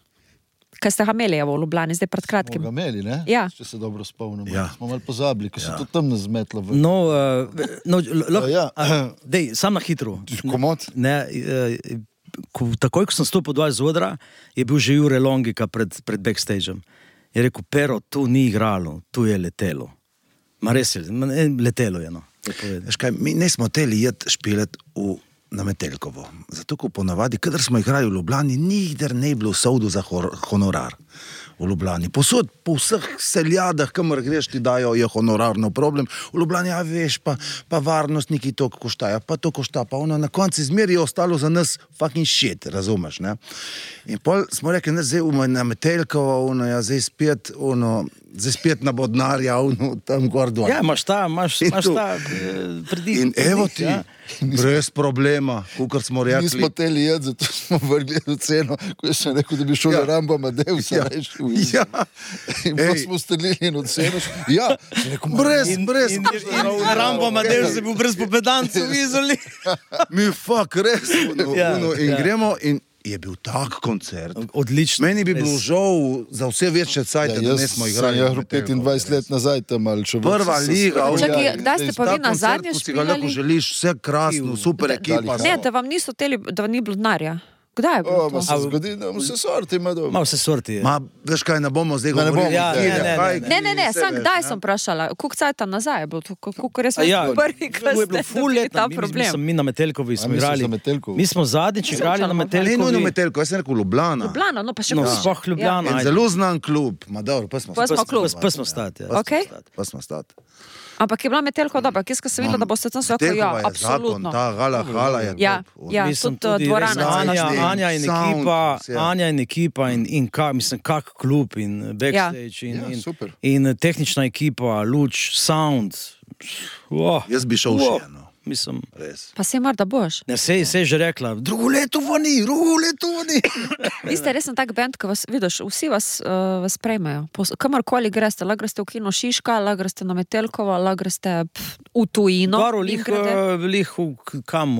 Kaj ste ga imeli v Ljubljani, zdaj pred kratkim? Smo ga imeli, ne? Ja. Če se dobro spomnimo. Ja. Smo malo pozabili, ko se to tam nazmetlo. Dej, sam na hitro. Komod? Ne, takoj, ko sem stopil dol z odra, je bil že Jure Longika pred backstageom. Je rekel, Pero, tu ni igralo, tu je letelo. Ma res je, letelo je, no. Veš kaj, mi ne smo teli špilet na Metelkovo. Zato, ko ponavadi, kadar smo igrali v Ljubljani, nikdar ne bilo sovdu za honorar v Ljubljani. Posod, po vseh seljadah, kamor greš, ti dajo, je honorarno problem. V Ljubljani, ja veš, pa varnostniki to koštajo, pa to košta, pa ono na konci zmeri je ostalo za nas fucking shit, razumeš, ne? In pol smo rekli, ne, zdaj na Metelkovo, ono, ja, zdaj spet na Bodnarja, ono, tam gor dol. Ja, imaš ta prediv. In evo ti, brez problema, kukor smo rekli. Nismo teli jed, zato smo vrgli v ceno, ko sem rekel, da bi šel na Rambo Amadeusa, rešil. Ja. In pa smo strelili in ocenili. Ja, brez. In Rambo Amadeus je bil brez Popedancev v Izoli. Mi fuck, res. In gremo je bil tak koncert. Odlično. Meni bi bilo žal za vse večje cajte, da ne smo igrali. Ja, 25 let nazaj tam ali še Prva liga. Čakaj, kdaj ste pa vi na zadnje Ko si ga lahko špilali? želiš, vse krasno, super ekipa. Ne, da vam niso teli, da vam ni bilo denarja. Kdaj je bilo to? Se zgodi, da vse sorti ima dobro. Malo vse sorti je. Ma, veš kaj, ne bomo zdaj Ne bomo, govorili. ja, Ne, sam kdaj sem vprašala, koliko cajta nazaj je bilo to, koliko res Ja, prvi, to ko je ste bilo ful dobili let, ta mi problem. smo mi na Metelkovi smo mi smo igrali. za Metelkovo. Mi smo zadnjič igrali na Ne, nujno Metelkovi. Metelko, jaz sem rekel Ljubljana. Ljubljana, no pa še No, koliko. sploh Ljubljana. En ajde. zelo znan klub. Ma dobro, pa smo klub. Pa smo stati. Ja. Okej. Pa smo stati. Ampak je bila Metelko dobra, kjer sem videla, da boste tam sve rekli, ja, Metelkova je absolutno. zakon, ta hala je Ja, top. ja, Mislim, tudi dvorana. res, cela. Anja in Sound, ekipa, vse. Anja in ekipa in mislim, kak klub in backstage Ja, super. in tehnična ekipa, luč, sound. Jaz bi šel še, no. Mislim, Res. Pa se mar, da boš. ne, se je že rekla, drugo leto vani. Vi ste resen tak band, ko vas, vidiš, vsi vas sprejmejo. Kamorkoli greste, lahko greste v kino Šiška, lahko greste na Metelkovo, lahko greste v tujino. Goro, Mimogrede. lih kam,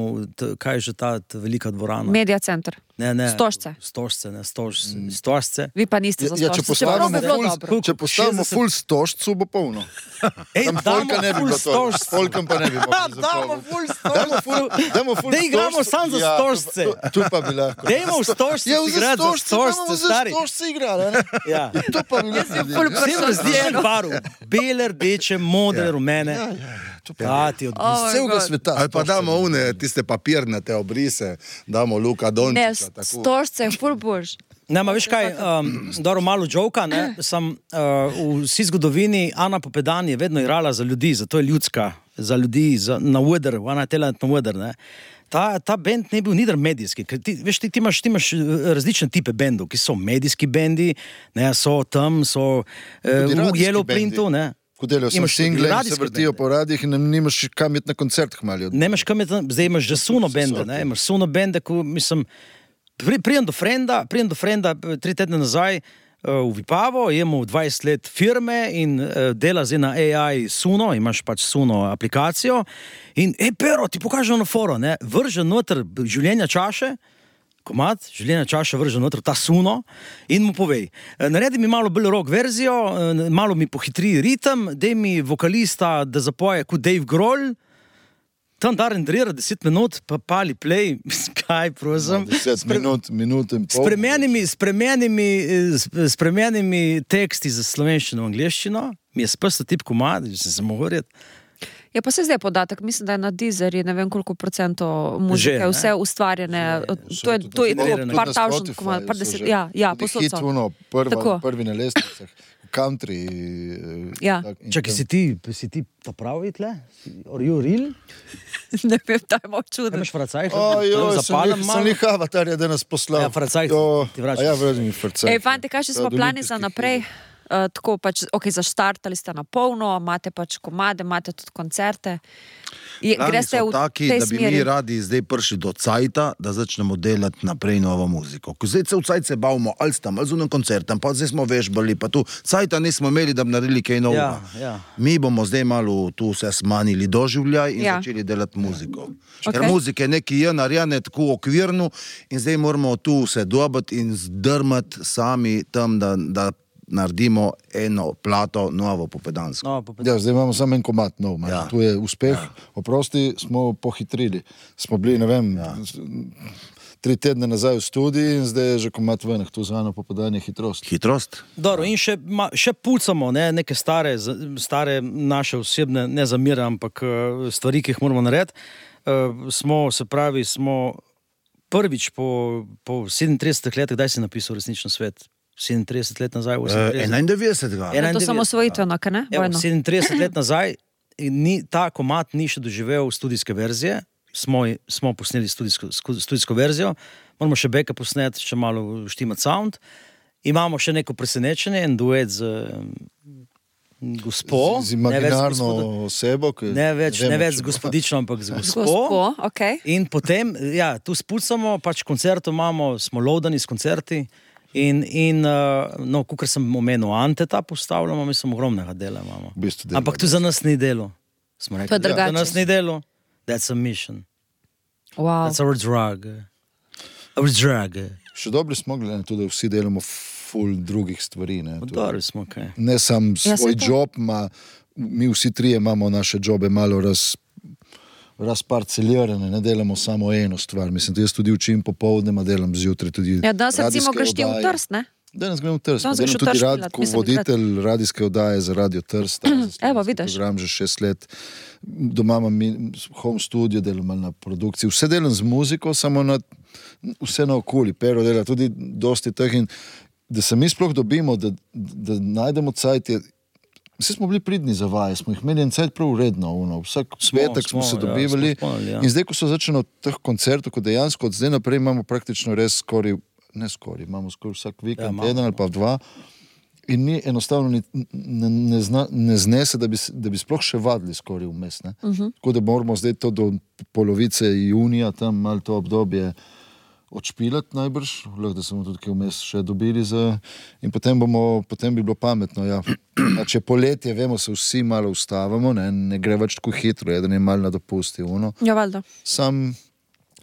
kaj je že ta velika dvorana? Media center. Ne, Stožce. Stožce, ne, stožce. Vi pa niste za Ja, če Stožce. Čeprav postavimo bi bilo dobro. če postavimo 60 full stožcu, bo polno. Ej, Tam folka ne bi bilo to. S folkom pa ne bi mogli Damo zapolniti. ful Dajmo full Da igramo stožcu. samo za Ja, stožce. Tu pa bi lahko. Dajmo v stožce Ja, igrati za stožce, za stari. stožce igrali, ne? Ja. To pa bi lahko. ful Vsem različnih barv. Bele, rdeče, modre, rumene. Ja, ti odvisno. Celega sveta. Ali pa damo une, tiste papirnate obrise, damo Luka Ne, Dončića. tako. Stožce je ful bož. Ne, ma veš kaj, dobro malo džoka, ne, sem v vsi zgodovini Ana Popedan je vedno igrala za ljudi, zato je ljudska, za ljudi, na Ueder, Ana Telant na Ueder, ne. Ta band ne bil nidar medijski, ker ti imaš različne tipe bendov, ki so medijski bendi, ne, so tam, so v radijski Yellow bendi. Printu, ne. Ko delajo sem Imaš tudi single in se radijske vrtijo bende. po radijih in nimaš kam iti na koncert hmalijo. Ne imaš kam, zdaj imaš že suno bende, ne, imaš suno bende, ko mislim, prijem do frenda 3 tedne nazaj v Vipavo, je imel 20 let firme in dela zdaj na AI suno, imaš pač suno aplikacijo in, pero, ti pokažem na foro, ne, vrže noter življenja čaše, komad, življenja čaša vrže noter ta suno in mu povej, naredi mi malo bolj rock verzijo, malo mi pohitri ritem, dej mi vokalista, da zapoje kot Dave Grohl, tam da rendrira 10 minut, pa pali play, kaj prosim. 10 minut in pol. Spremenjenimi teksti za slovenščino in angliščino, mi je spet tip komad, že sem se mogel reči. Je pa se zdaj podatek, mislim, da je na Deezerju, ne vem koliko procentov muzike, Že, ne? vse ustvarjene, to je generirane. par tavžen, par deset, ja, posod Hit, so. ono, prvi na lestvicah, country. Ja. Čakaj, si ti ta pravi tle? Are you real? Ne vem, da je malo čudno. Imaš fracajh? Sem jih avatarja, da nas poslal. Ja, fracajh, ti vračaš. Ja, vrni mi fracajh. Ej, fanti, kaj še smo plani za naprej? Tako pač, ok, zaštartali ste na polno, imate pač komade, imate tudi koncerte. Plani Greste so v taki, tej da bi mi smeri. radi zdaj prišli do cajta, da začnemo delati naprej novo muziko. Ko zdaj cel cajt se bavimo, ali tam, ali zunem koncertem, pa zdaj smo vežbali, pa tu cajta nismo imeli, da bi naredili kaj novega. Ja. Mi bomo zdaj malo tu se smanjili doživljaj in Ja. začeli delati muziko. Ok. Ker muzike neki je narejene tako okvirno in zdaj moramo tu se dobiti in zdrmati sami tam, da naredimo eno plato novo popedansko. No, Ja, zdaj imamo samo en komad nov, Ja. tu je uspeh, oprosti, smo pohitrili. Smo bili, ne vem, 3 tedne nazaj v studiji in zdaj je že komad ven, tu zvano Popadanje hitrost. Hitrost? Dobro, in še pucamo, ne, neke stare naše osebne, ne zamere, ampak stvari, ki jih moramo narediti. Smo prvič po 37 letih, kdaj si napisal Resničen svet? 37 let nazaj, 91. Je to samo svojitveno, kaj ne? Evo, Vojno. 37 let nazaj, ta komad ni še doživel studijske verzije, smo posneli studijsko verzijo, moramo še backup posneti, še malo štimati sound, imamo še neko presenečenje, en duet z gospo, Z imaginarno osebo, ki ne več z če- gospodično, ampak z gospo. Gospo, ok. In potem, ja, tu spucamo, pač koncertov imamo, smo loadani s koncerti in no, kakor sem omenil, Anteta postavljamo, mislim, ogromnega dela imamo. V bistvu dela, Ampak tu za nas ni delo. Smo rekli, To je drugače. za nas ni delo. That's a mission. Wow. That's our drug. Vzdrage. Še dobri smo, glede na to, da vsi delamo ful drugih stvari. Ne, Dobri smo, kaj. Ne sam svoj saj to. job, mi vsi trije imamo naše jobe malo razparcelirane, ne delamo samo eno stvar. Mislim, jaz tudi učim popoldne, delam zjutraj tudi Ja, danes recimo radijske greš ti v oddaje. Trst, ne? Danes grem v Trst. Danes Delam greš v tudi Trst delat, kot mislim, voditelj radijske oddaje za Radio Trst. Evo, vidiš. Program že 6 let. Doma imam home studio, delam malo na produkciji. Vse delam z muziko, samo vse na okoli. Pero dela tudi dosti teh in da se mi sploh dobimo, da najdemo cajt. Vsi smo bili pridni za vaje, smo jih imeli en cajt prav uredno. Vsak petek smo se dobivali. Ja. In zdaj, ko so začeli teh koncertov, ko dejansko od zdaj naprej imamo praktično res imamo skoraj vsak vikend, eden ali pa dva. In ni enostavno ne znese, da bi sploh še vadili skoraj vmes. Tako da moramo zdaj to do polovice junija, tam malo to obdobje odšpilati najbrž, lahko da smo tudi kaj vmes še dobili in potem bi bilo pametno. Ja. Če poletje, vemo, se vsi malo ustavamo, ne gre več tako hitro, da ne malo na dopusti. Ja, valjda. Sam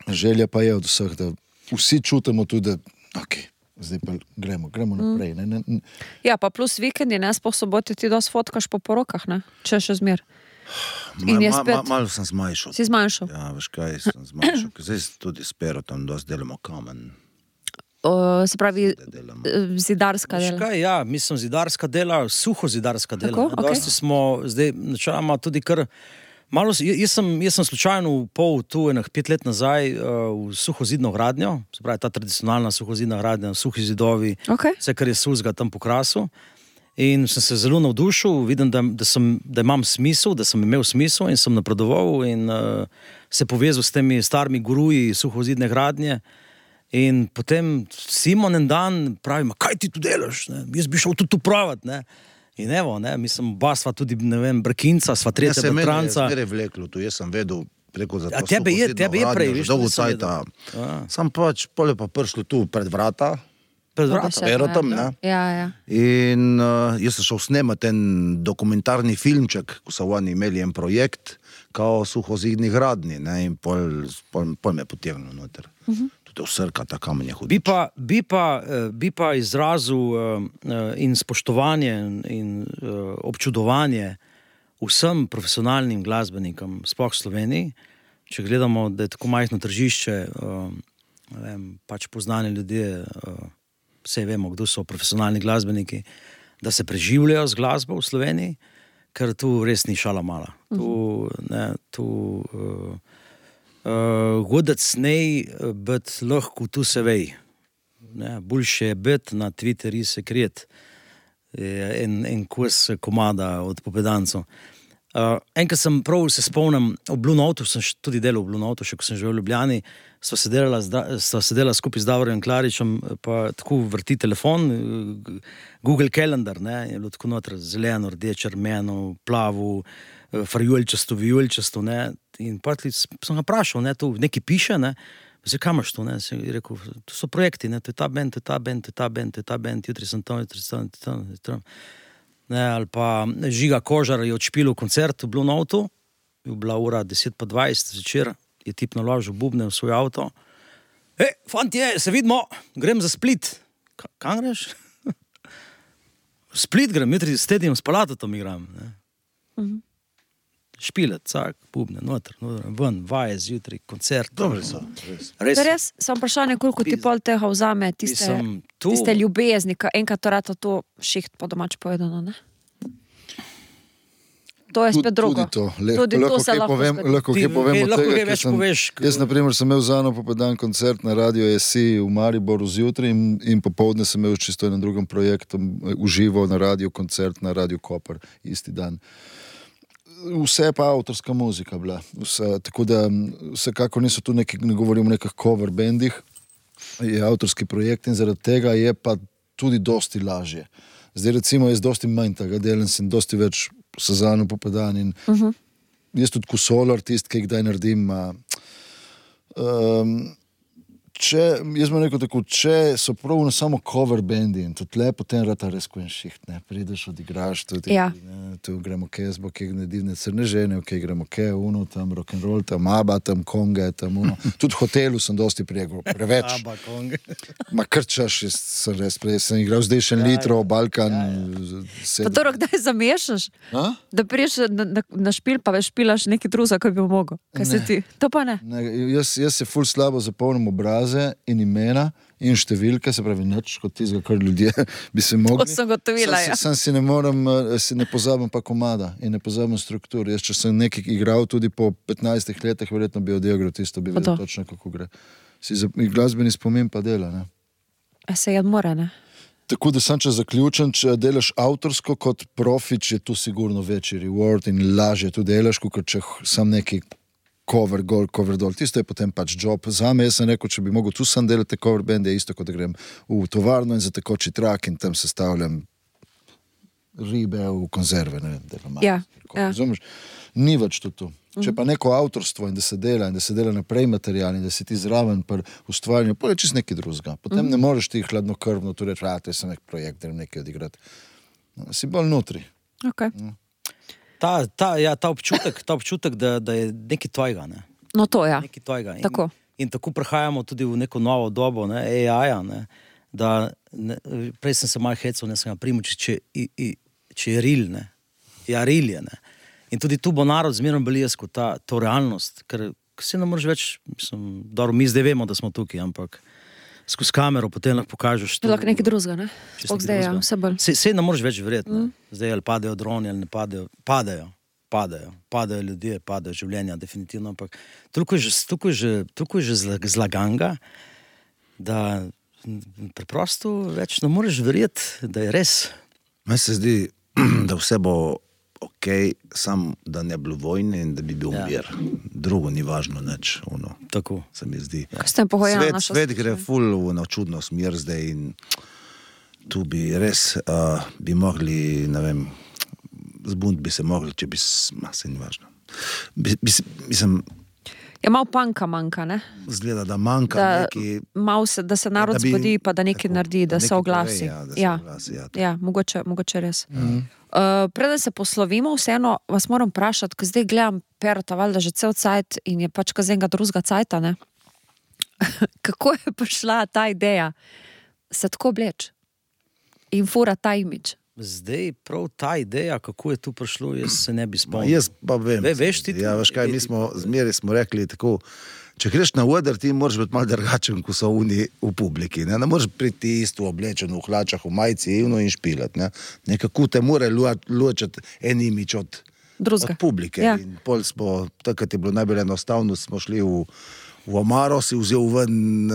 želja pa je od vseh, da vsi čutimo tudi, da zdaj pa gremo naprej. Ja, pa plus vikendi, ne, sploh sobote ti dosti fotkaš po porokah, ne, če še zmer. In je spet. Malo sem zmanjšal. Si zmanjšal? Ja, veš kaj, sem zmanjšal. Zdaj tudi s Perotom dosti delamo kamen. Se pravi, zidarska Veš dela. kaj, ja, mislim, zidarska dela, suho zidarska dela. Tako, okej. Dosti smo zdaj, načeloma tudi kar malo, jaz sem slučajno pol tu enih 5 let nazaj v suhozidno gradnjo, se pravi ta tradicionalna suhozidna gradnja, suhi zidovi, Okej. vse, kar je suzga tam po krasu. In sem se zelo navdušil, vidim, da imam smisel, da sem imel smisel in sem napredoval in se povezal s temi starimi guruji suhozidne gradnje. In potem Simon en dan pravi, kaj ti tu delaš, ne? Jaz bi šel tudi tu pravati, ne? In evo, ne, mislim, oba sva tudi, ne vem, Brkinca, sva tretja Bertranca. Jaz sem vleklo tu, jaz sem vedel preko za to tebe je prej, že viš, dolgo nisem cajta. vedel. Sam pač, pole pa prišlo tu pred vrata, Pred Po vrata. deset, Perotom, ja. ne? Ja. In jaz sem šel snemati en dokumentarni filmček, ko so oni imeli en projekt, kao suhozidni gradni, ne, in pol me potegnil noter. Tudi vsrka, ta kamen je hudič. Bi pa izrazil in spoštovanje in občudovanje vsem profesionalnim glasbenikom, sploh v Sloveniji, če gledamo, da je tako majhno tržišče, ne vem, pač poznani ljudje, vse vemo, kdo so profesionalni glasbeniki, da se preživljajo z glasbo v Sloveniji, ker tu res ni šala mala. Godec nej, bet lahko tu se vej. Boljše je biti na Twitterju sekret en kos komada od Popedancov. Enkrat sem prav se spomnim, v Blue Notu, sem tudi delal v Blue Notu, še ko sem živel v Ljubljani, sva sedela skupaj z Davorjem Klaričem, pa tako vrti telefon, Google Calendar, ne, je bilo tako noter zeleno, rdeče, rumeno, plavo, farjulčasto, vijulčasto, ne, in pa sem ga vprašal, ne, tu nekaj piše, ne, zdaj, kam imaš to, ne, sem rekel, to so projekti, ne, to je ta band, to je ta band, to je ta band, to je ta band, jutri sem tam, ne, ali pa Žiga Kožar je odšpilil koncert v Blue Notu, je bila ura 10:20 zvečer, je tip naložil bubne v svoj avto. Fantje, se vidimo, grem za Split. Kam greš? V Split grem, jutri s Tedijem, s Palatotom igram. Špilet, cak, bubne, noter, ven, vaje zjutraj, koncert. Dobri so, res. Res, sem vprašanje, koliko ti pol tega vzame, tiste ljubezni, enkrat to rata to šiht po domač povedano, ne? To je spet drugo. Tudi to se lahko zgodi. Lahko kaj povem od tega, ker sem, jaz naprimer sem imel za eno Popedan koncert na Radio SI v Mariboru zjutraj in popoldne sem imel čisto na drugem projektu uživo na radio koncert na Radio Koper isti dan. Vse pa avtorska muzika bila. Tako da vsekako niso tu neki, ne govorim o nekih cover bandih, je avtorski projekt in zaradi tega je pa tudi dosti lažje. Zdaj recimo jaz dosti manj tega delam, sem dosti več Sezano Popedan in jaz tudi ko solo artist, ki kdaj naredim, jaz bom rekel tako, če so prav samo cover bandi in tudi le, potem rata res ko en šiht, ne, prideš, odigraš tudi, tu gremo kje, zbo kje divne crne žene, kje gremo kje, tam rock'n'roll, tam ABBA, tam konge, tam Tudi v hotelu sem dosti preveč. ABBA, konge. Ma krčaš, sem res sem igral zdaj še litro, Balkan. Pa to kdaj zamešaš? Da priješ na špil, pa veš špilaš nekaj druga, ko bi mogel. Kaj se ti? To pa ne? Jaz se ful slabo zapomnim obraze in imena in številke, se pravi nič, kot tizga, kar ljudje bi se mogli. To sem gotovila, ja. Sam si ne pozabim pa komada in ne pozabim strukturo. Jaz, če sem nekaj igral tudi po 15 letih, verjetno bi odigral tisto, bi vedel točno, kako gre. Glasbeni spomin pa dela, ne? Se mora, ne? Tako da sam, če zaključim, če delaš avtorsko kot profič, je tu sigurno večji reward in lažje tu delaš, kot če sam neki cover gol, cover dol. Tisto je potem pač job. Zame jaz sem rekel, če bi mogel tu sam delati cover band, je isto, kot da grem v tovarno in za tekoči trak in tam sestavljam ribe v konzerve, ne vem, razumeš? Ni več tu. Če pa neko avtorstvo in da se dela naprej material in da si ti zraven pri ustvarjanju, pa je čist nekaj drugega. Potem ne moreš ti hladnokrvno tu reči, to je sem nek projekt, da nekaj odigrati. Si bolj notri. Okay. Ta občutek, da je nekaj tvojega, ne? No to, ja. Nekaj tvojega. Tako. In tako prehajamo tudi v neko novo dobo, ne, AI-ja, ne, da prej sem se malo hecal, ne sem ga primoči, če je real, ne. Ja, real je, ne. In tudi tu bo narod zmerno beljesko to realnost, ker se ne moreš več, mi zdaj vemo, da smo tukaj, ampak skozi kamero potem lahko pokažeš to. Lahko nekaj drugega, ne? Zdaj, ja, vse bolj. Se ne moreš več verjeti, ne. Zdaj ali padejo droni, ali ne padejo. Padajo ljudje, padajo življenja, definitivno, ampak toliko je že zlaganga, da preprosto več ne moreš verjeti, da je res. Meni se zdi, da vse bo sam da ne bilo vojne in da bi bil mir. Drugo ni važno nič, Tako. Se mi zdi. Svet gre ful v čudno smer zdaj in tu bi res bi mogli, ne vem, zbunt bi se mogli, če bi se ni važno. Mislim, je malo panka manjka, ne? Zgleda, da manjka neki... Da se narod zbudi, pa da nekaj naredi, da se oglasi. Ja, mogoče res. Preden se poslovimo, vseeno vas moram vprašati, ko zdaj gledam Perota, valjda že cel cajt in je pač kaz enega drugega cajta, ne? Kako je prišla ta ideja se tako obleč in fura ta imidž? Zdaj, prav ta ideja, kako je tu prišlo, jaz se ne bi spomnil. Jaz pa vem. Veš ti? Ja, veš kaj, zmeri smo rekli tako, če greš na oder, ti moraš biti malo drugačen, ko so oni v publiki, ne moraš priti isto oblečen v hlačah, v majici in špilati, ne. Nekako te mora ločati en imidž od publike. Ja. In pol smo, takrat je bilo najbolj enostavno, smo šli v omaro, si vzel ven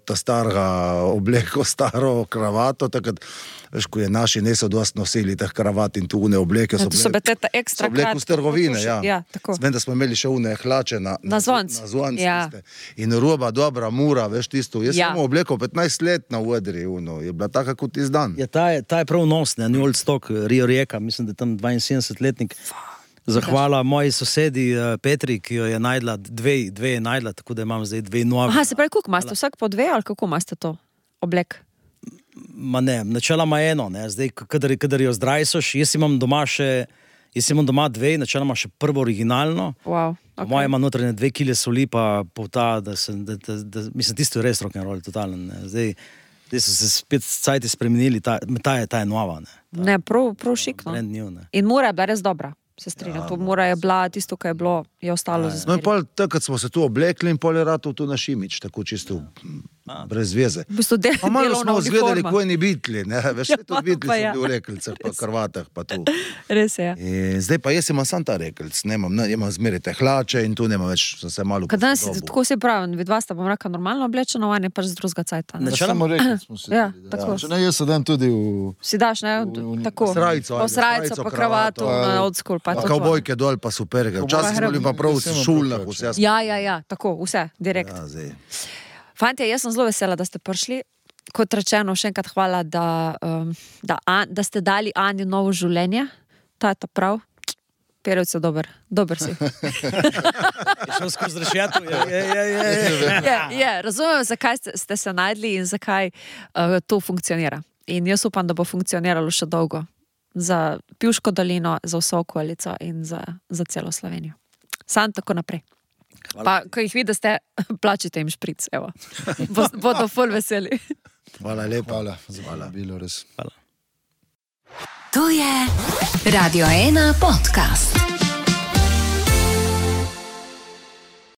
ta starega obleko, staro kravato, takrat, veš, ko je naši niso dosti nosili teh kravat in tu une obleke, so bile v trgovine, ja. Vem, da smo imeli še une hlače na zvonc, ja. In roba, dobra, mura, veš tisto. Jaz sem obleko 15 let na odri, je bila taka kot izdan. Ja, ta je prav nos, ne, New Old Stock, Rio Rijeka, mislim, da je tam 72-letnik. Zahvala moji sosedi Petri, ki jo je najdla, dve je najdla, tako da imam zdaj 2 nove. Aha, se pravi, koliko imate? Vsak po 2 ali kako imate to oblek? Ma ne, načeloma eno, ne, zdaj, kadar jo zdrajsoš, jaz imam doma 2, načeloma še prvo originalno. Wow, okay. Moja ima notranje 2 kile soli, pa polta, mislim, tisto je res rock'n'roll, totalen, ne, zdaj so se spet cajti spremenili, ta je nova, ne. Ne, prav šikno. Brand new, ne. In mora je bila res dobra. Se strinjam, to mora je bila, tisto, kaj je bilo, je ostalo za zmeri. No in pol, takrat smo se tu oblekli in pol je ratov tu naš imidž, tako čisto brez veze. V bistvu pa malo smo zgledali, ko je ni bitli, ne, veš, ja, tudi bitli so bili v rekelcah, pa krvatah, pa tu. Res je, ja. In zdaj pa jaz imam sam ta rekelc, imam zmeri te hlače in tu nema več, sem se malo posodobil. Danes, tako se pravim, vid vas, da bom reka normalno oblečeno, on je pač z drugega cajta. Samo rekelc smo se ja, tudi, tako. Če ne, jaz se dan tudi si daš, ne, tako. Srajco, pa kravato, old school, pa to. Kavbojke dol, pa superge. Včasih smo bili pa prav v šulah, vse. Ja, tako, vse, direkt. Fantje, jaz sem zelo vesela, da ste prišli. Kot rečeno, še enkrat hvala, da ste dali Ani novo življenje. Ta je ta prav. Perec je dober si. Je šel skozi rešetu. Je, razumem, zakaj ste se najdli in zakaj to funkcionira. In jaz upam, da bo funkcioniralo še dolgo. za Pivško dolino, za vso okolico in za celo Slovenijo. Sam tako naprej. Pa, ko jih vidite, plačite jim špric, evo. Bodo ful veseli. Hvala lepa. Hvala, za bilo res. Hvala. To je Radio 1 podcast.